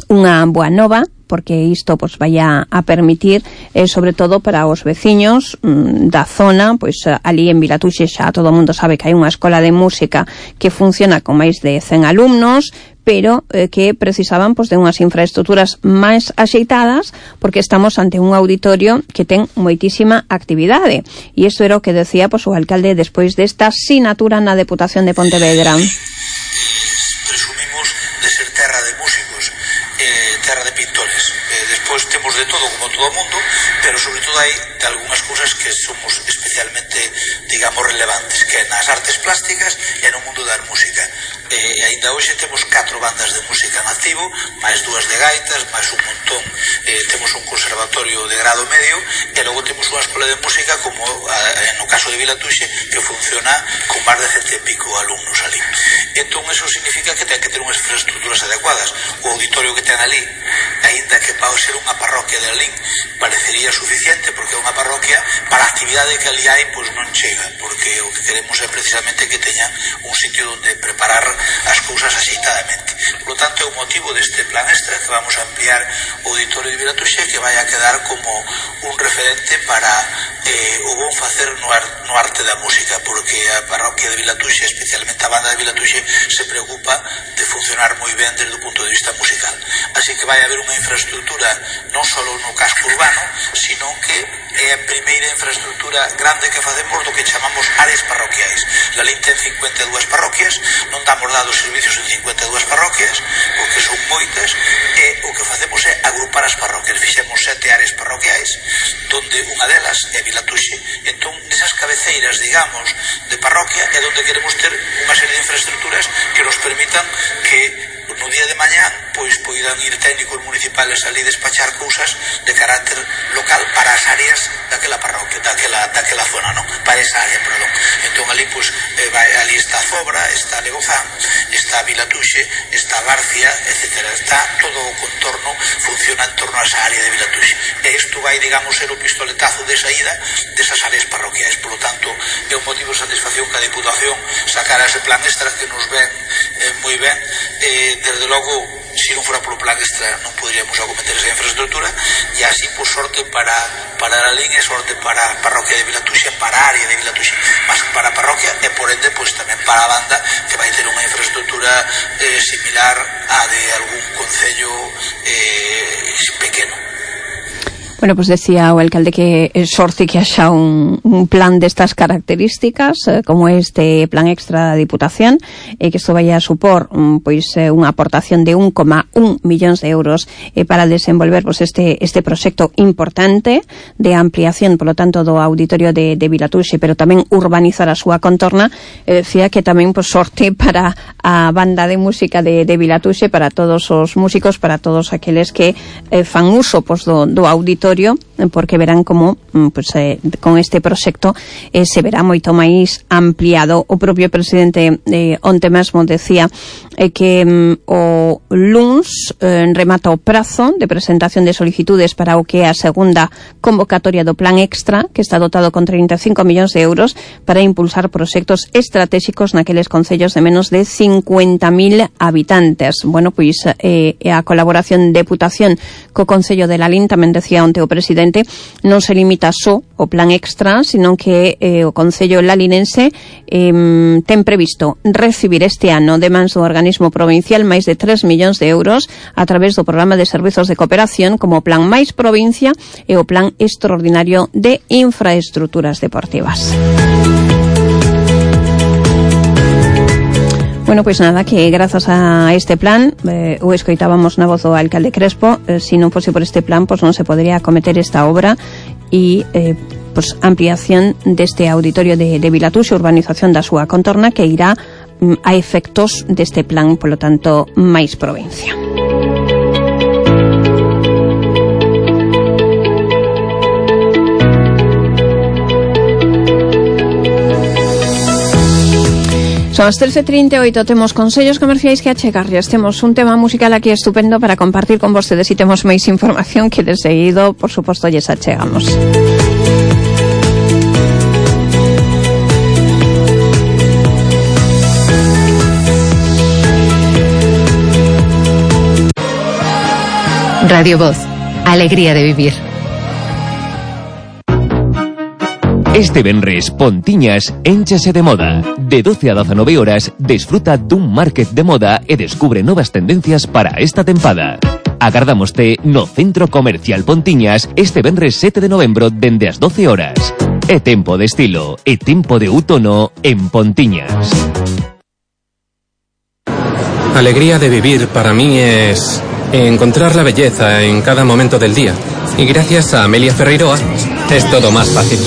unha boa nova, porque isto pues vai a permitir sobre todo para os veciños da zona, pois ali en Vilatuxe xa todo o mundo sabe que hai unha escola de música que funciona con máis de 100 alumnos, pero que precisaban pues de unhas infraestructuras máis axeitadas, porque estamos ante un auditorio que ten moitísima actividade, e isto era o que decía pues o alcalde despois desta sinatura na Deputación de Pontevedra. Presumimos de ser terra de músicos, terra de pintores. Despois temos de todo como todo o mundo, pero sobre todo hai de algunhas cousas que somos especialmente, digamos, relevantes, que é nas artes plásticas e no mundo da música. Ainda hoxe temos 4 bandas de música en activo, máis 2 de gaitas, máis un montón, temos un conservatorio de grado medio e logo temos unha escola de música como no caso de Vilatuxe, que funciona con máis de 100 e pico alumnos ali. Entón eso significa que ten que ter unhas infraestructuras adecuadas. O auditorio que ten ali aínda que para ser unha parroquia de Alín parecería suficiente, porque é unha parroquia para a actividade que ali hai, pois non chega, porque o que queremos é precisamente que teña un sitio onde preparar as cousas axeitadamente. Por lo tanto, é o motivo deste plan extra que vamos a ampliar o auditorio de Vilatuxe, que vai a quedar como un referente para o bon facer no arte da música, porque a parroquia de Vilatuxe, especialmente a banda de Vilatuxe, se preocupa de funcionar moi ben desde o punto de vista musical. Así que vai haber unha infraestructura non só no casco urbano, sino que é a primeira infraestructura grande que facemos do que chamamos áreas parroquiais. La Lin ten 52 parroquias, non damos dados servicios en 52 parroquias, porque son moitas, e o que facemos é agrupar as parroquias. Fixemos 7 áreas parroquiais, donde unha delas é Vilatuxe. Entón, nesas cabeceiras, digamos, de parroquia, é donde queremos ter unha serie de infraestructuras que nos permitan que no día de mañá pois poidan ir técnicos municipales ali despachar cousas de carácter local para as áreas daquela parroquia, daquela zona, non? Para esa área, perdón. Entón ali pois ali está Zobra, está Legozán, está Vilatuxe, está García, etcétera. Está todo o contorno, funciona en torno a esa área de Vilatuxe. E isto vai, digamos, ser o pistoletazo de saída desas áreas parroquiais. Por lo tanto, é un motivo de satisfacción que a Diputación sacara ese plan extra que nos ven moi ben. Desde logo, se non fora polo plan extra non poderíamos acometer esa infraestructura, e así, por sorte para a Lin e sorte para a parroquia de Vilatuxe, para a área de Vilatuxe, mas para a parroquia e por ende pois tamén para a banda, que vai ter unha infraestructura similar a de algún concello pequeno. Bueno, pues decía o alcalde que sorte que haxa un plan destas características, como este plan extra da Diputación, que isto vai a supor pois unha aportación de 1,1 millóns de euros para desenvolver pois este proxecto importante de ampliación, polo tanto, do auditorio de Vilatuxe, pero tamén urbanizar a súa contorna. Decía que tamén pois sorte para a banda de música de Vilatuxe, para todos os músicos, para todos aqueles que fan uso pois do auditorio, porque verán como pues, con este proxecto se verá moito máis ampliado. O propio presidente onte mesmo decía que o luns remata o prazo de presentación de solicitudes para o que é a segunda convocatoria do plan extra, que está dotado con 35 millóns de euros para impulsar proxectos estratégicos naqueles concellos de menos de 50.000 habitantes. Bueno, pois a colaboración Deputación co Concello de Lalín, tamén decía onte o presidente, non se limita só o plan extra, sino que o Concello lalinense ten previsto recibir este ano de mans do organismo provincial máis de 3 millóns de euros a través do programa de servizos de cooperación, como o Plan Máis Provincia e o Plan Extraordinario de Infraestructuras Deportivas. Bueno, pois nada, que grazas a este plan, o escoitábamos na voz do alcalde Crespo, se non fose por este plan, pois non se podería acometer esta obra e pois ampliación deste auditorio de Vilatuxe, urbanización da súa contorna, que irá a efectos deste plan, polo tanto, Máis Provincia. Son as 13:38, temos consellos comerciais que achegarlles. Temos un tema musical aquí estupendo para compartir con vostedes e temos máis información que de seguido, por suposto, lles achegamos. Radio Voz, alegría de vivir. Este venres, Pontiñas énchase de moda. De 12 a 19 horas, desfruta dun market de moda e descubre novas tendencias para esta tempada. Agardámoste no Centro Comercial Pontiñas este venres 7 de novembro dende as 12 horas. É tempo de estilo, é tempo de outono en Pontiñas. Alegría de vivir para mí es encontrar la belleza en cada momento del día. Y gracias a Amelia Ferreiroa es todo más fácil.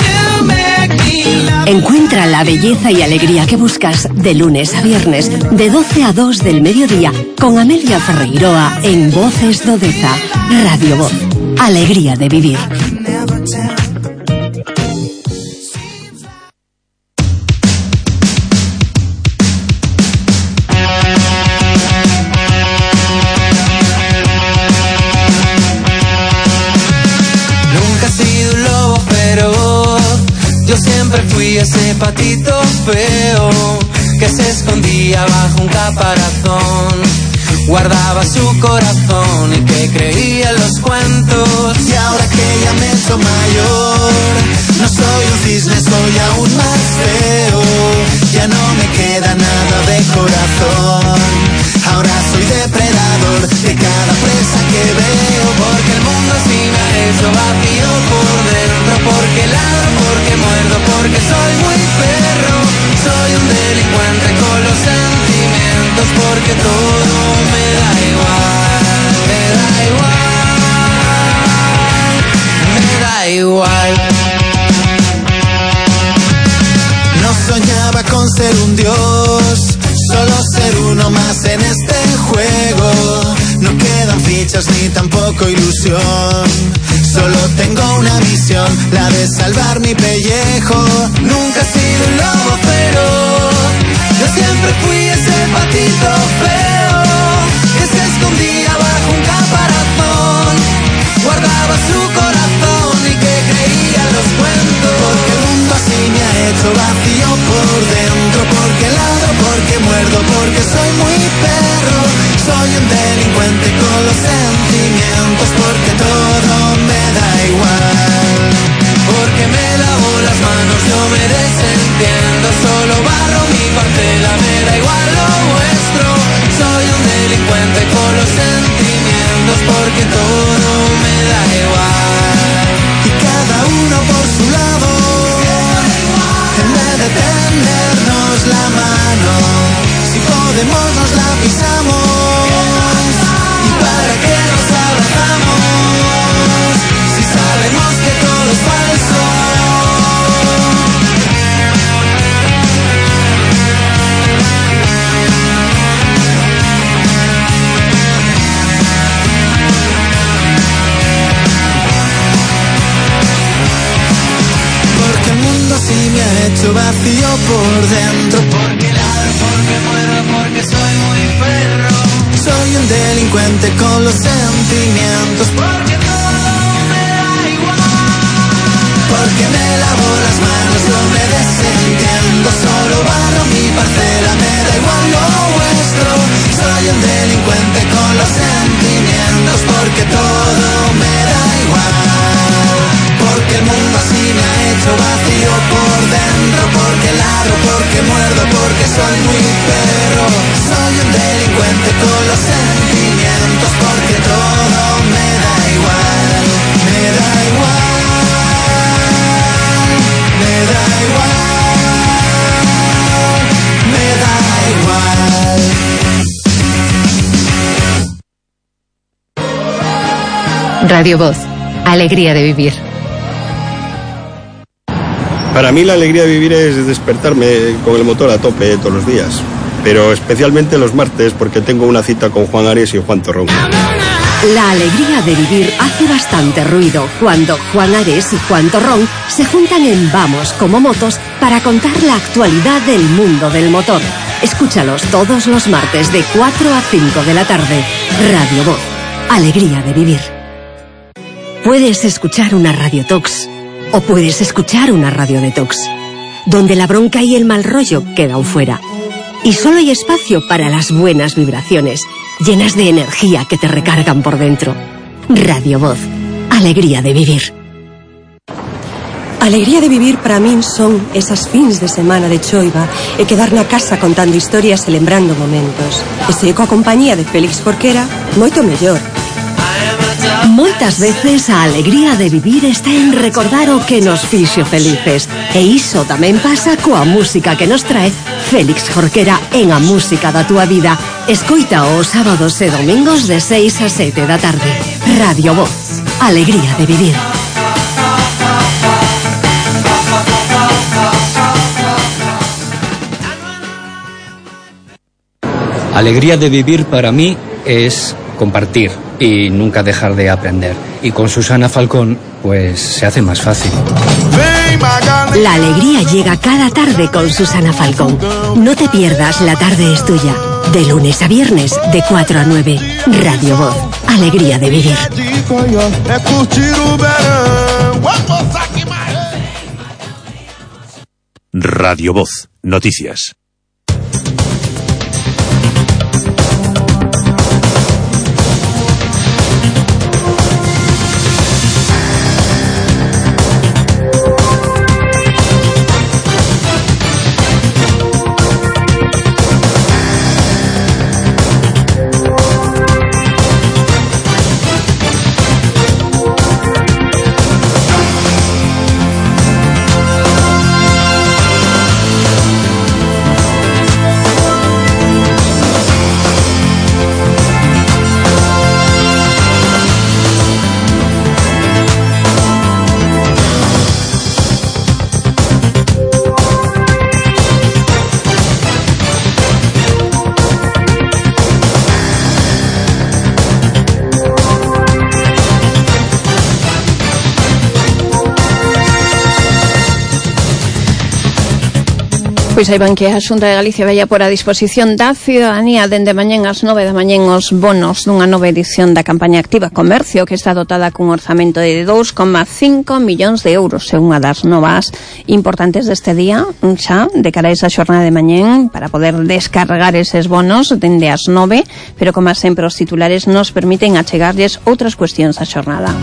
Encuentra la belleza y alegría que buscas de lunes a viernes, de 12 a 2 del mediodía, con Amelia Ferreiroa en Voces do Deza. Radio Voz, alegría de vivir. fui ese patito feo que se escondía bajo un caparazón. Guardaba su corazón y que creía en los cuentos. Y ahora que ya me he hecho mayor, no soy un cisne, soy aún más feo. Ya no me queda nada de corazón. Ahora soy depredador de cada presa que veo. Porque el mundo así me ha hecho vacío por dentro. Porque ladro, porque muerdo, porque soy muy perro. Soy un delincuente con los sentimientos. Porque todo me da igual, me da igual, me da igual. No soñaba con ser un dios, solo ser uno más en este juego. No quedan fichas ni tampoco ilusión. Solo tengo una visión, la de salvar mi pellejo. Nunca he sido un lobo feroz. Yo siempre fui ese patito feo que se escondía bajo un caparazón. Guardaba su corazón y que creía en los cuentos. Porque el mundo así me ha hecho vacío por dentro. Porque ladro, porque muerdo, porque soy muy perro. Soy un delincuente con los sentimientos. Porque todo me da igual. Porque me lavo las manos, yo me desentiendo. Solo barro mi parcela, me da igual lo vuestro. Soy un delincuente con los sentimientos. Porque todo me da igual. Y cada uno por su lado, en vez de tendernos la mano, si podemos nos la pisamos. ¿Y para qué nos abrazamos si sabemos que todo es falso? Porque el mundo así me ha hecho vacío por dentro. Porque ladro, porque muero, porque soy muy perro. Soy un delincuente con los sentimientos. Porque todo me da igual. Porque me lavo las manos, no me desentiendo. Solo barro mi parcela, me da igual lo vuestro. Soy un delincuente con los sentimientos. Porque todo me da igual. Porque el mundo así me ha hecho vacío por dentro. Porque ladro, porque muerdo, porque soy muy perro. Soy un delincuente con los sentimientos. Porque todo me da igual, me da igual, me da igual, me da igual. Radio Voz, alegría de vivir. Para mí la alegría de vivir es despertarme con el motor a tope todos los días, pero especialmente los martes porque tengo una cita con Juan Ares y Juan Torrón. La alegría de vivir hace bastante ruido cuando Juan Ares y Juan Torrón se juntan en Vamos como Motos para contar la actualidad del mundo del motor. Escúchalos todos los martes de 4 a 5 de la tarde. Radio Voz, alegría de vivir. Puedes escuchar una Radio Tox o puedes escuchar una Radio Detox, donde la bronca y el mal rollo quedan fuera. Y solo hay espacio para las buenas vibraciones, llenas de energía que te recargan por dentro. Radio Voz, alegría de vivir. Alegría de vivir para min son esas fins de semana de choiva e quedar na casa contando historias e lembrando momentos. E se coa compañía de Félix Jorquera, moito mellor. Moitas veces a alegría de vivir está en recordar o que nos fixo felices. E iso tamén pasa coa música que nos trae Félix Jorquera en A Música da Túa Vida. Escoita os sábados e domingos de 6 a 7 da tarde. Radio Voz, alegría de vivir. Alegría de vivir para mí es compartir y nunca dejar de aprender. Y con Susana Falcón, pues se hace más fácil. La alegría llega cada tarde con Susana Falcón. No te pierdas La Tarde es Tuya. De lunes a viernes, de 4 a 9. Radio Voz, alegría de vivir. Radio Voz, noticias. Pois saiban que a Xunta de Galicia veía por a disposición da ciudadanía dende mañén ás 9 da mañén os bonos dunha nova edición da campaña Activa Comercio, que está dotada cun orzamento de 2,5 millóns de euros. É unha das novas importantes deste día, xa, de cara a esa xornada de mañén, para poder descargar eses bonos dende as 9, pero como sempre os titulares nos permiten achegarlles outras cuestións á xornada.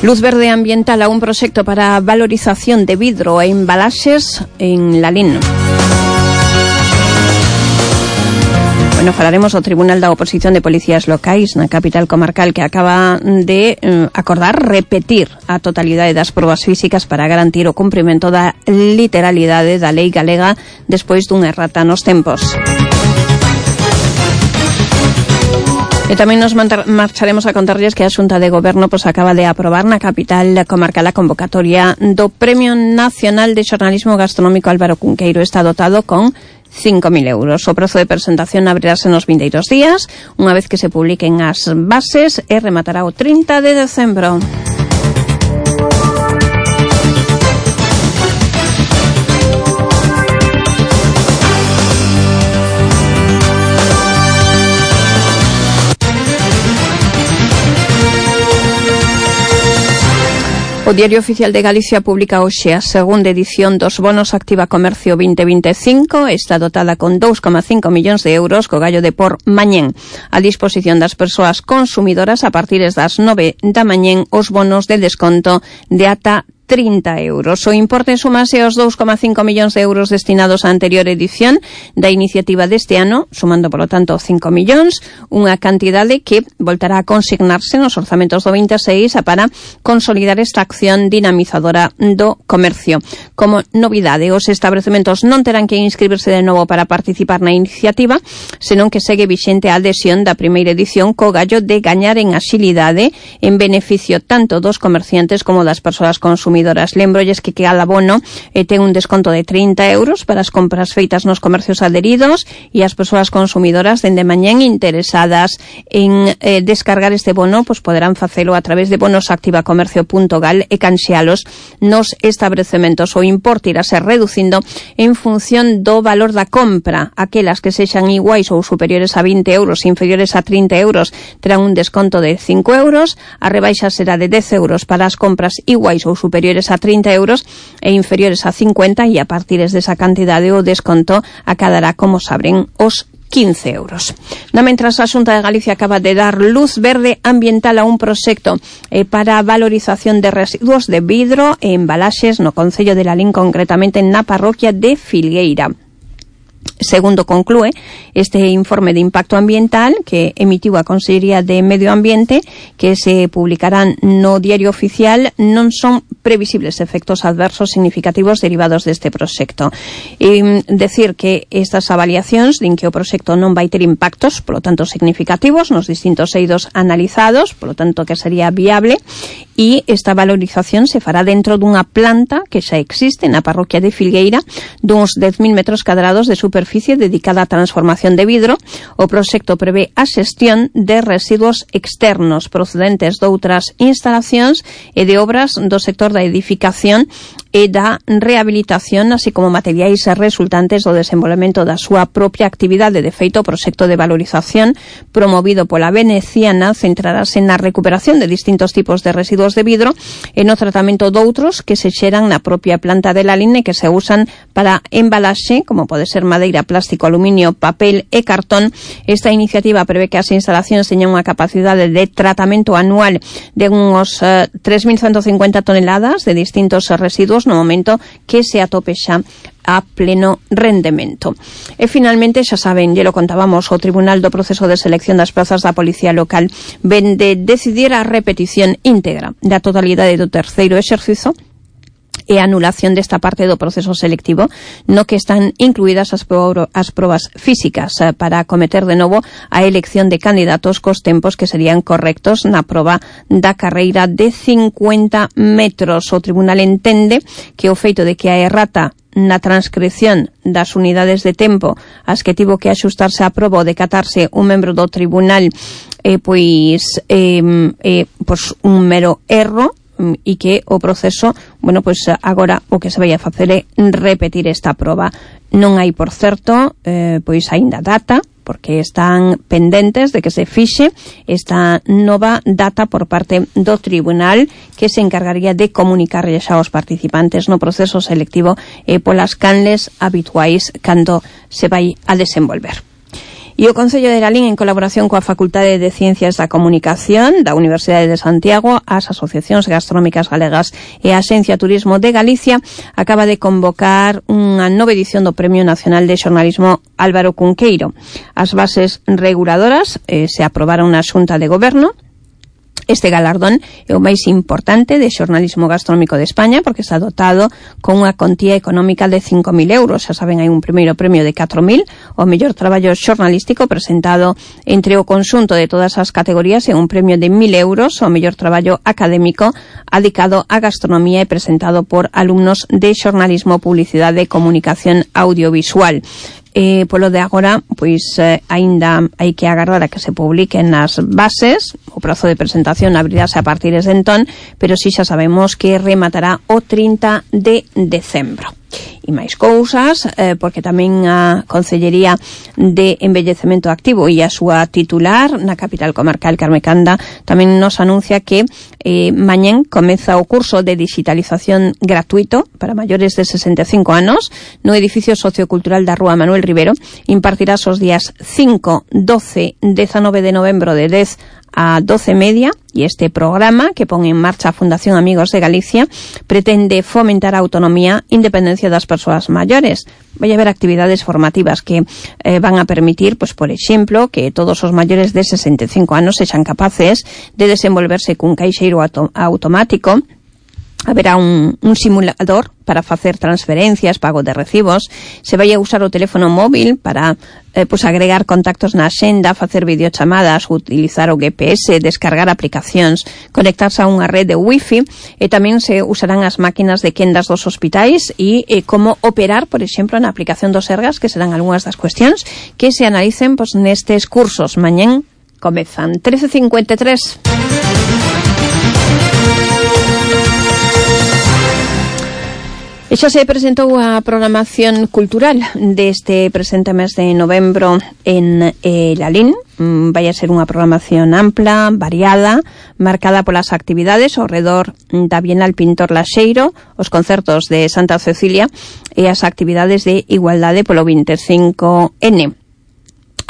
Luz verde ambiental a un proxecto para a valorización de vidro e embalaxes en Lalín. Bueno, falaremos do Tribunal da Oposición de Policías Locais na capital comarcal, que acaba de acordar repetir a totalidade das probas físicas para garantir o cumprimento da literalidade da lei galega despois dunha errata nos tempos. E tamén nos marcharemos a contarlles que a Xunta de Goberno acaba de aprobar na capital comarcal a convocatoria do Premio Nacional de Xornalismo Gastronómico Álvaro Cunqueiro. Está dotado con 5.000 euros. O prazo de presentación abrirase nos vindeiros días, unha vez que se publiquen as bases, e rematará o 30 de decembro. O Diario Oficial de Galicia publica hoxe a segunda edición dos bonos Activa Comercio 2025. Está dotada con 2,5 millóns de euros, co gallo de por mañén a disposición das persoas consumidoras a partir das 9 da mañén os bonos de desconto de ata 30 euros. O importe sumase aos 2,5 millóns de euros destinados á anterior edición da iniciativa deste ano, sumando, polo tanto, 5 millóns, unha cantidade que voltará a consignarse nos orzamentos do 26 para consolidar esta acción dinamizadora do comercio. Como novidade, os establecementos non terán que inscribirse de novo para participar na iniciativa, senón que segue vixente a adhesión da primeira edición, co gallo de gañar en axilidade en beneficio tanto dos comerciantes como das persoas consumidoras. Lembrolles que cada abono ten un desconto de 30 euros para as compras feitas nos comercios adheridos, e as persoas consumidoras dende mañán interesadas en descargar este bono poderán facelo a través de bonosactivacomercio.gal e canxealos nos establecementos. O importe irá ser reducindo en función do valor da compra. Aquelas que sexan iguais ou superiores a 20 euros e inferiores a 30 euros terán un desconto de 5 euros. A rebaixa será de 10 euros para as compras iguais ou superiores a 30 euros e inferiores a 50, e a partir desa cantidade o desconto acadará, como saben, os 15 euros. Mentras, a Xunta de Galicia acaba de dar luz verde ambiental a un proxecto para a valorización de residuos de vidro e embalaxes no concello de Lalín, concretamente na parroquia de Filgueira. Segundo conclúe este informe de impacto ambiental que emitiu a Consellería de Medio Ambiente, que se publicarán no Diario Oficial, non son previsibles efectos adversos significativos derivados deste proxecto. Decir que estas avaliacións din que o proxecto non vai ter impactos, polo tanto, significativos nos distintos eidos analizados, polo tanto, que sería viable, e esta valorización se fará dentro dunha planta que xa existe na parroquia de Filgueira, duns 10.000 metros cadrados de superficie dedicada á transformación de vidro. O proxecto prevé a xestión de residuos externos procedentes doutras instalacións e de obras do sector da edificación e da rehabilitación, así como materiais resultantes do desenvolvemento da súa propia actividade. De feito, o proxecto de valorización promovido pola veneciana centrarase na recuperación de distintos tipos de residuos de vidro e no tratamento doutros que se xeran na propia planta de Lalín e que se usan para embalaxe, como pode ser madeira, plástico, aluminio, papel e cartón. Esta iniciativa prevé que as instalacións teñan unha capacidade de tratamento anual de uns 3.150 toneladas de distintos residuos no momento que se atope xa a pleno rendemento. E finalmente, xa saben, lle lo contábamos, o Tribunal do Proceso de Selección das Plazas da Policía Local ven de decidir a repetición íntegra da totalidade do terceiro exercizo e a anulación desta parte do proceso selectivo no que están incluídas as probas físicas para acometer de novo a elección de candidatos cos tempos que serían correctos na proba da carreira de 50 metros. O tribunal entende que o feito de que a errata na transcripción das unidades de tempo as que tivo que axustarse a proba ou decatarse un membro do tribunal pois un mero erro, e que o proceso, bueno, pois agora o que se vai a facer é repetir esta proba. Non hai, por certo, pois aínda data, porque están pendentes de que se fixe esta nova data por parte do tribunal, que se encargaría de comunicar xa aos participantes no proceso selectivo polas canles habituais cando se vai a desenvolver. E o Concello de Lalín, en colaboración coa Facultade de Ciencias da Comunicación da Universidade de Santiago, as asociacións gastronómicas galegas e a Axencia Turismo de Galicia, acaba de convocar unha nova edición do Premio Nacional de Xornalismo Álvaro Cunqueiro. As bases reguladoras se aprobaron na Xunta de Goberno. Este galardón é o máis importante de xornalismo gastronómico de España, porque está dotado con unha contía económica de 5.000 euros. Xa saben, hai un primeiro premio de 4.000, o mellor traballo xornalístico presentado entre o conxunto de todas as categorías, e un premio de 1.000 euros, o mellor traballo académico adicado á gastronomía e presentado por alumnos de xornalismo, publicidade e comunicación audiovisual. Polo de agora, pois aínda hai que agardar a que se publiquen as bases. O prazo de presentación abrirase a partir de entón, pero si xa sabemos que rematará o 30 de decembro. E máis cousas, porque tamén a Consellería de Envellecemento Activo e a súa titular na capital comarcal, Carme Canda, tamén nos anuncia que mañén comeza o curso de digitalización gratuito para maiores de 65 anos no edificio sociocultural da Rúa Manuel Rivero. Impartirás os días 5, 12, 19 de novembro de 10 a 12:30, e este programa que pon en marcha a Fundación Amigos de Galicia pretende fomentar a autonomía e independencia das persoas maiores. Vai haber actividades formativas que van a permitir, pues, por exemplo, que todos os maiores de 65 anos sexan capaces de desenvolverse cun caixeiro automático. Haberá un simulador para facer transferencias, pago de recibos. Se vai a usar o teléfono móvil para agregar contactos na axenda, facer videochamadas, utilizar o GPS, descargar aplicacións, conectarse a unha rede de wifi, e tamén se usarán as máquinas de quendas dos hospitais e como operar, por exemplo, na aplicación dos Sergas, que serán algunhas das cuestións que se analicen nestes cursos. Mañén comezan 13:53. E xa se presentou a programación cultural deste presente mes de novembro en Lalín. Vai a ser unha programación ampla, variada, marcada polas actividades ao redor da Bienal Pintor Laxeiro, os concertos de Santa Cecilia e as actividades de igualdade polo 25N.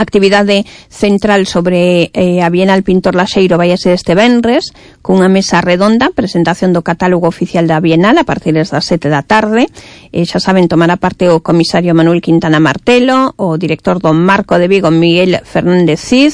Actividade central sobre a Bienal Pintor Laxeiro vai a ser este venres, cunha mesa redonda, presentación do catálogo oficial da Bienal a partir das 7 da tarde. Xa saben, tomará parte o comisario Manuel Quintana Martelo, o director do Marco de Vigo Miguel Fernández Cid,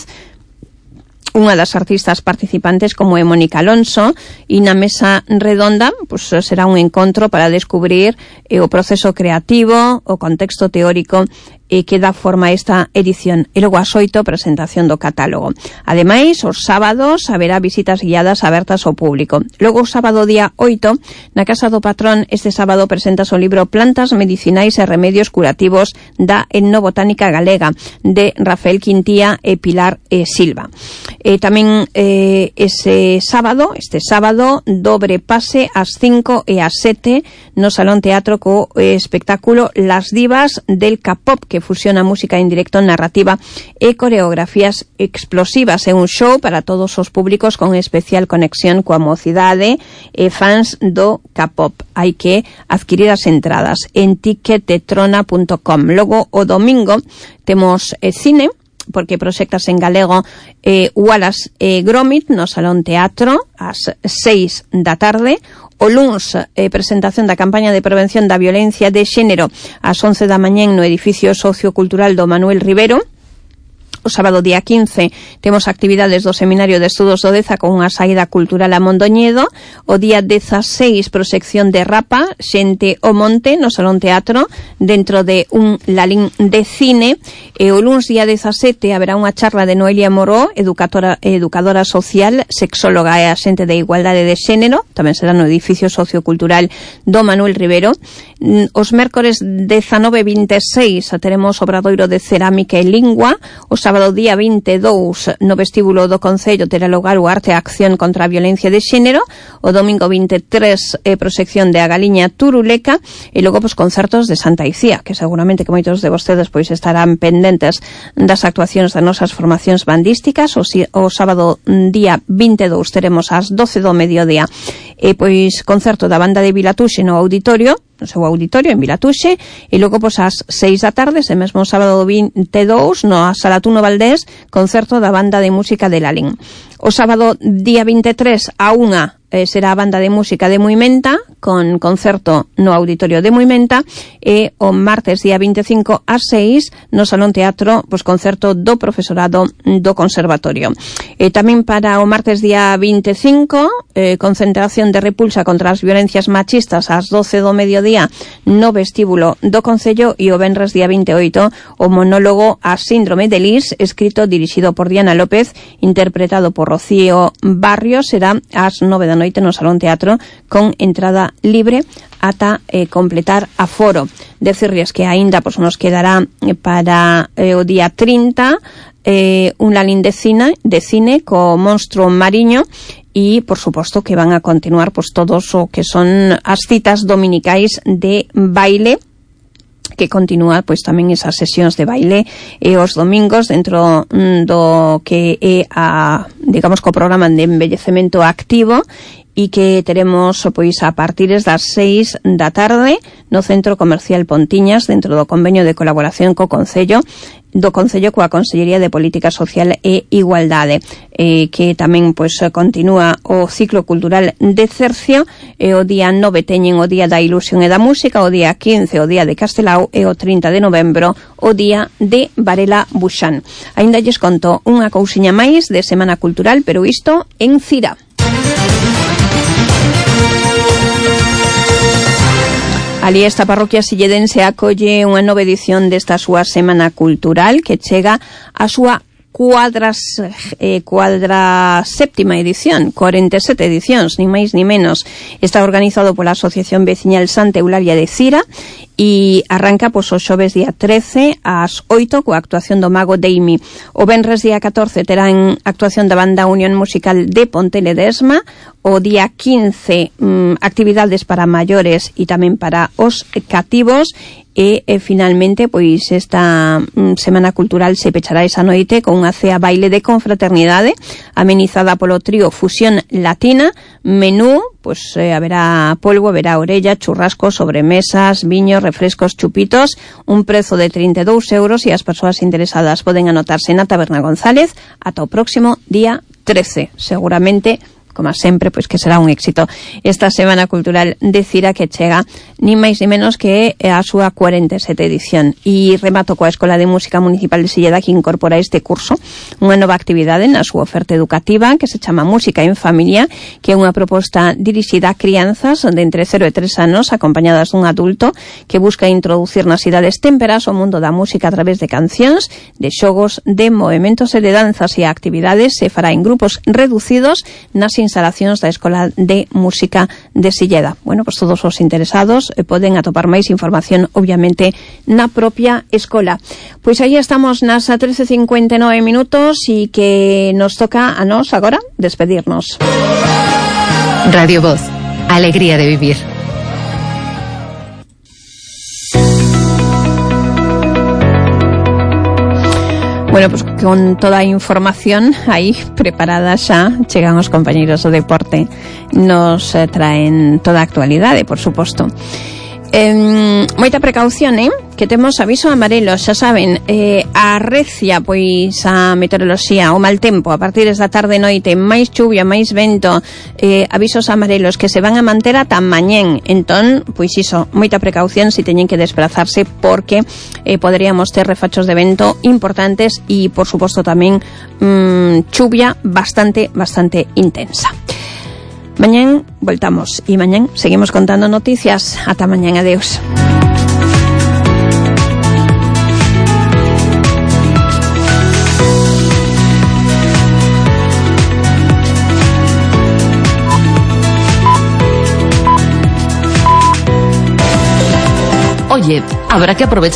unha das artistas participantes como é Mónica Alonso, e na mesa redonda será un encontro para descubrir o proceso creativo, o contexto teórico que dá forma a esta edición. E logo ás 8, presentación do catálogo. Ademais, os sábados haberá visitas guiadas abertas ao público. Logo, o sábado día 8, na Casa do Patrón, este sábado presentase o libro Plantas medicinais e remedios curativos da etnobotánica galega, de Rafael Quintía e Pilar Silva. Tamén este sábado, dobre pase ás 5 e ás 7 no Salón Teatro co espectáculo Las Divas del K-pop, que fusiona música en directo, narrativa e coreografías explosivas. É un show para todos os públicos con especial conexión coa mocidade e fans do K-pop. Hai que adquirir as entradas en ticketetrona.com. Logo, o domingo, temos cine, porque proxectas en galego Wallace Gromit no Salón Teatro ás 6 da tarde. O luns, presentación da campaña de prevención da violencia de xénero ás 11 da mañán no edificio sociocultural do Manuel Rivero. O sábado día 15 temos actividades do Seminario de Estudos do Deza con unha saída cultural a Mondoñedo. O día 16, proxección de Rapa, Xente o Monte no Salón Teatro, dentro de un lalín de cine. E o luns día 17 haberá unha charla de Noelia Moró, educadora social, sexóloga e axente de igualdade de xénero. Tamén será no edificio sociocultural do Manuel Rivero. Os mércores 19 e 26 teremos obradoiro de cerámica e lingua. O sábado día 22 no vestíbulo do Concello terá lugar o Arte e Acción contra a Violencia de Xénero. O domingo 23 proxección de A Galiña Turuleca. E logo concertos de Santa Icía, que seguramente que moitos de vostedes estarán pendentes das actuacións das nosas formacións bandísticas. O sábado día 22 teremos ás 12 do mediodía concerto da banda de Vilatuxe no auditorio, no seu auditorio en Vilatuxe, e logo ás 6 da tarde, ese mesmo sábado 22, no Sala Tuno Valdés, concerto da banda de música de Lalín. O sábado día 23 a 1 será a banda de música de Muimenta, con concerto no auditorio de Muimenta, e o martes día 25 a 6 no Salón Teatro, concerto do profesorado do Conservatorio. E tamén para o martes día 25, concentración de repulsa contra as violencias machistas ás 12 do mediodía no vestíbulo do Concello, e o venres día 28 o monólogo A Síndrome de Lis, escrito dirixido por Diana López, interpretado por Rocío Barrios, será ás 9 da noite no Salón Teatro, con entrada libre ata completar aforo. Decirles que aínda nos quedará para o día 30 un lalín de cine co Monstro Mariño, e por suposto que van a continuar todos o que son as citas dominicais de baile, que continúa tamén esas sesións de baile os domingos dentro do que é co programa de embellecemento activo, e que teremos a partir das 6 da tarde no Centro Comercial Pontiñas, dentro do convenio de colaboración co Concello coa Consellería de Política Social e Igualdade, que tamén continúa o ciclo cultural de Cercio. O día 9 teñen o Día da Ilusión e da Música, o día 15 o Día de Castelao, e o 30 de novembro o Día de Varela Buxán. Aínda lles conto unha cousiña máis de Semana Cultural, pero isto en Cira. Ali esta parroquia silledense acolle unha nova edición desta súa Semana Cultural, que chega a súa cuadra séptima edición, 47 edicións, nin máis nin menos. Está organizado pola Asociación Veciñal Santa Eulalia de Cira e arranca o xoves día 13 ás 8 coa actuación do Mago Deimi. O venres día 14 terán actuación da Banda Unión Musical de Ponteledesma. O día 15 actividades para maiores e tamén para os cativos. E finalmente esta Semana Cultural se pechará esa noite con unha cea baile de confraternidade amenizada polo trío Fusión Latina. Menú, haberá polvo, haberá orella, churrasco, sobremesas, viños, refrescos, chupitos, un prezo de 32 euros, e as persoas interesadas poden anotarse na Taberna González ata o próximo día 13, seguramente como sempre, pois que será un éxito esta Semana Cultural de Cira que chega ni máis ni menos que a súa 47 edición. E remato coa Escola de Música Municipal de Silleda, que incorpora este curso unha nova actividade na súa oferta educativa que se chama Música en Familia, que é unha proposta dirixida a crianzas de entre 0 e 3 anos acompañadas dun adulto que busca introducir nas idades témperas o mundo da música a través de cancións, de xogos, de movimentos e de danzas, e a actividade se fará en grupos reducidos nas instalacións da Escola de Música de Silleda. Bueno, pois todos os interesados poden atopar máis información, obviamente, na propia escola. Pois aí estamos nas 13:59 minutos e que nos toca a nós agora despedirnos. Radio Voz, alegría de vivir. Bueno, pues con toda a información aí preparada xa, chegan os compañeiros do deporte, nos traen toda a actualidade, por suposto. Moita precaución, que temos aviso amarelo, xa saben, arrecia pois a meteoroloxía, o mal tempo a partir da tarde e noite, máis chuvia, máis vento, avisos amarelos que se van a manter ata mañén. Entón, pois iso, moita precaución se teñen que desplazarse, porque poderíamos ter refachos de vento importantes e, por suposto, tamén chuvia bastante intensa. Mañán voltamos e mañán seguimos contando noticias. Ata mañán, adeus. Oye, habrá que aprovechar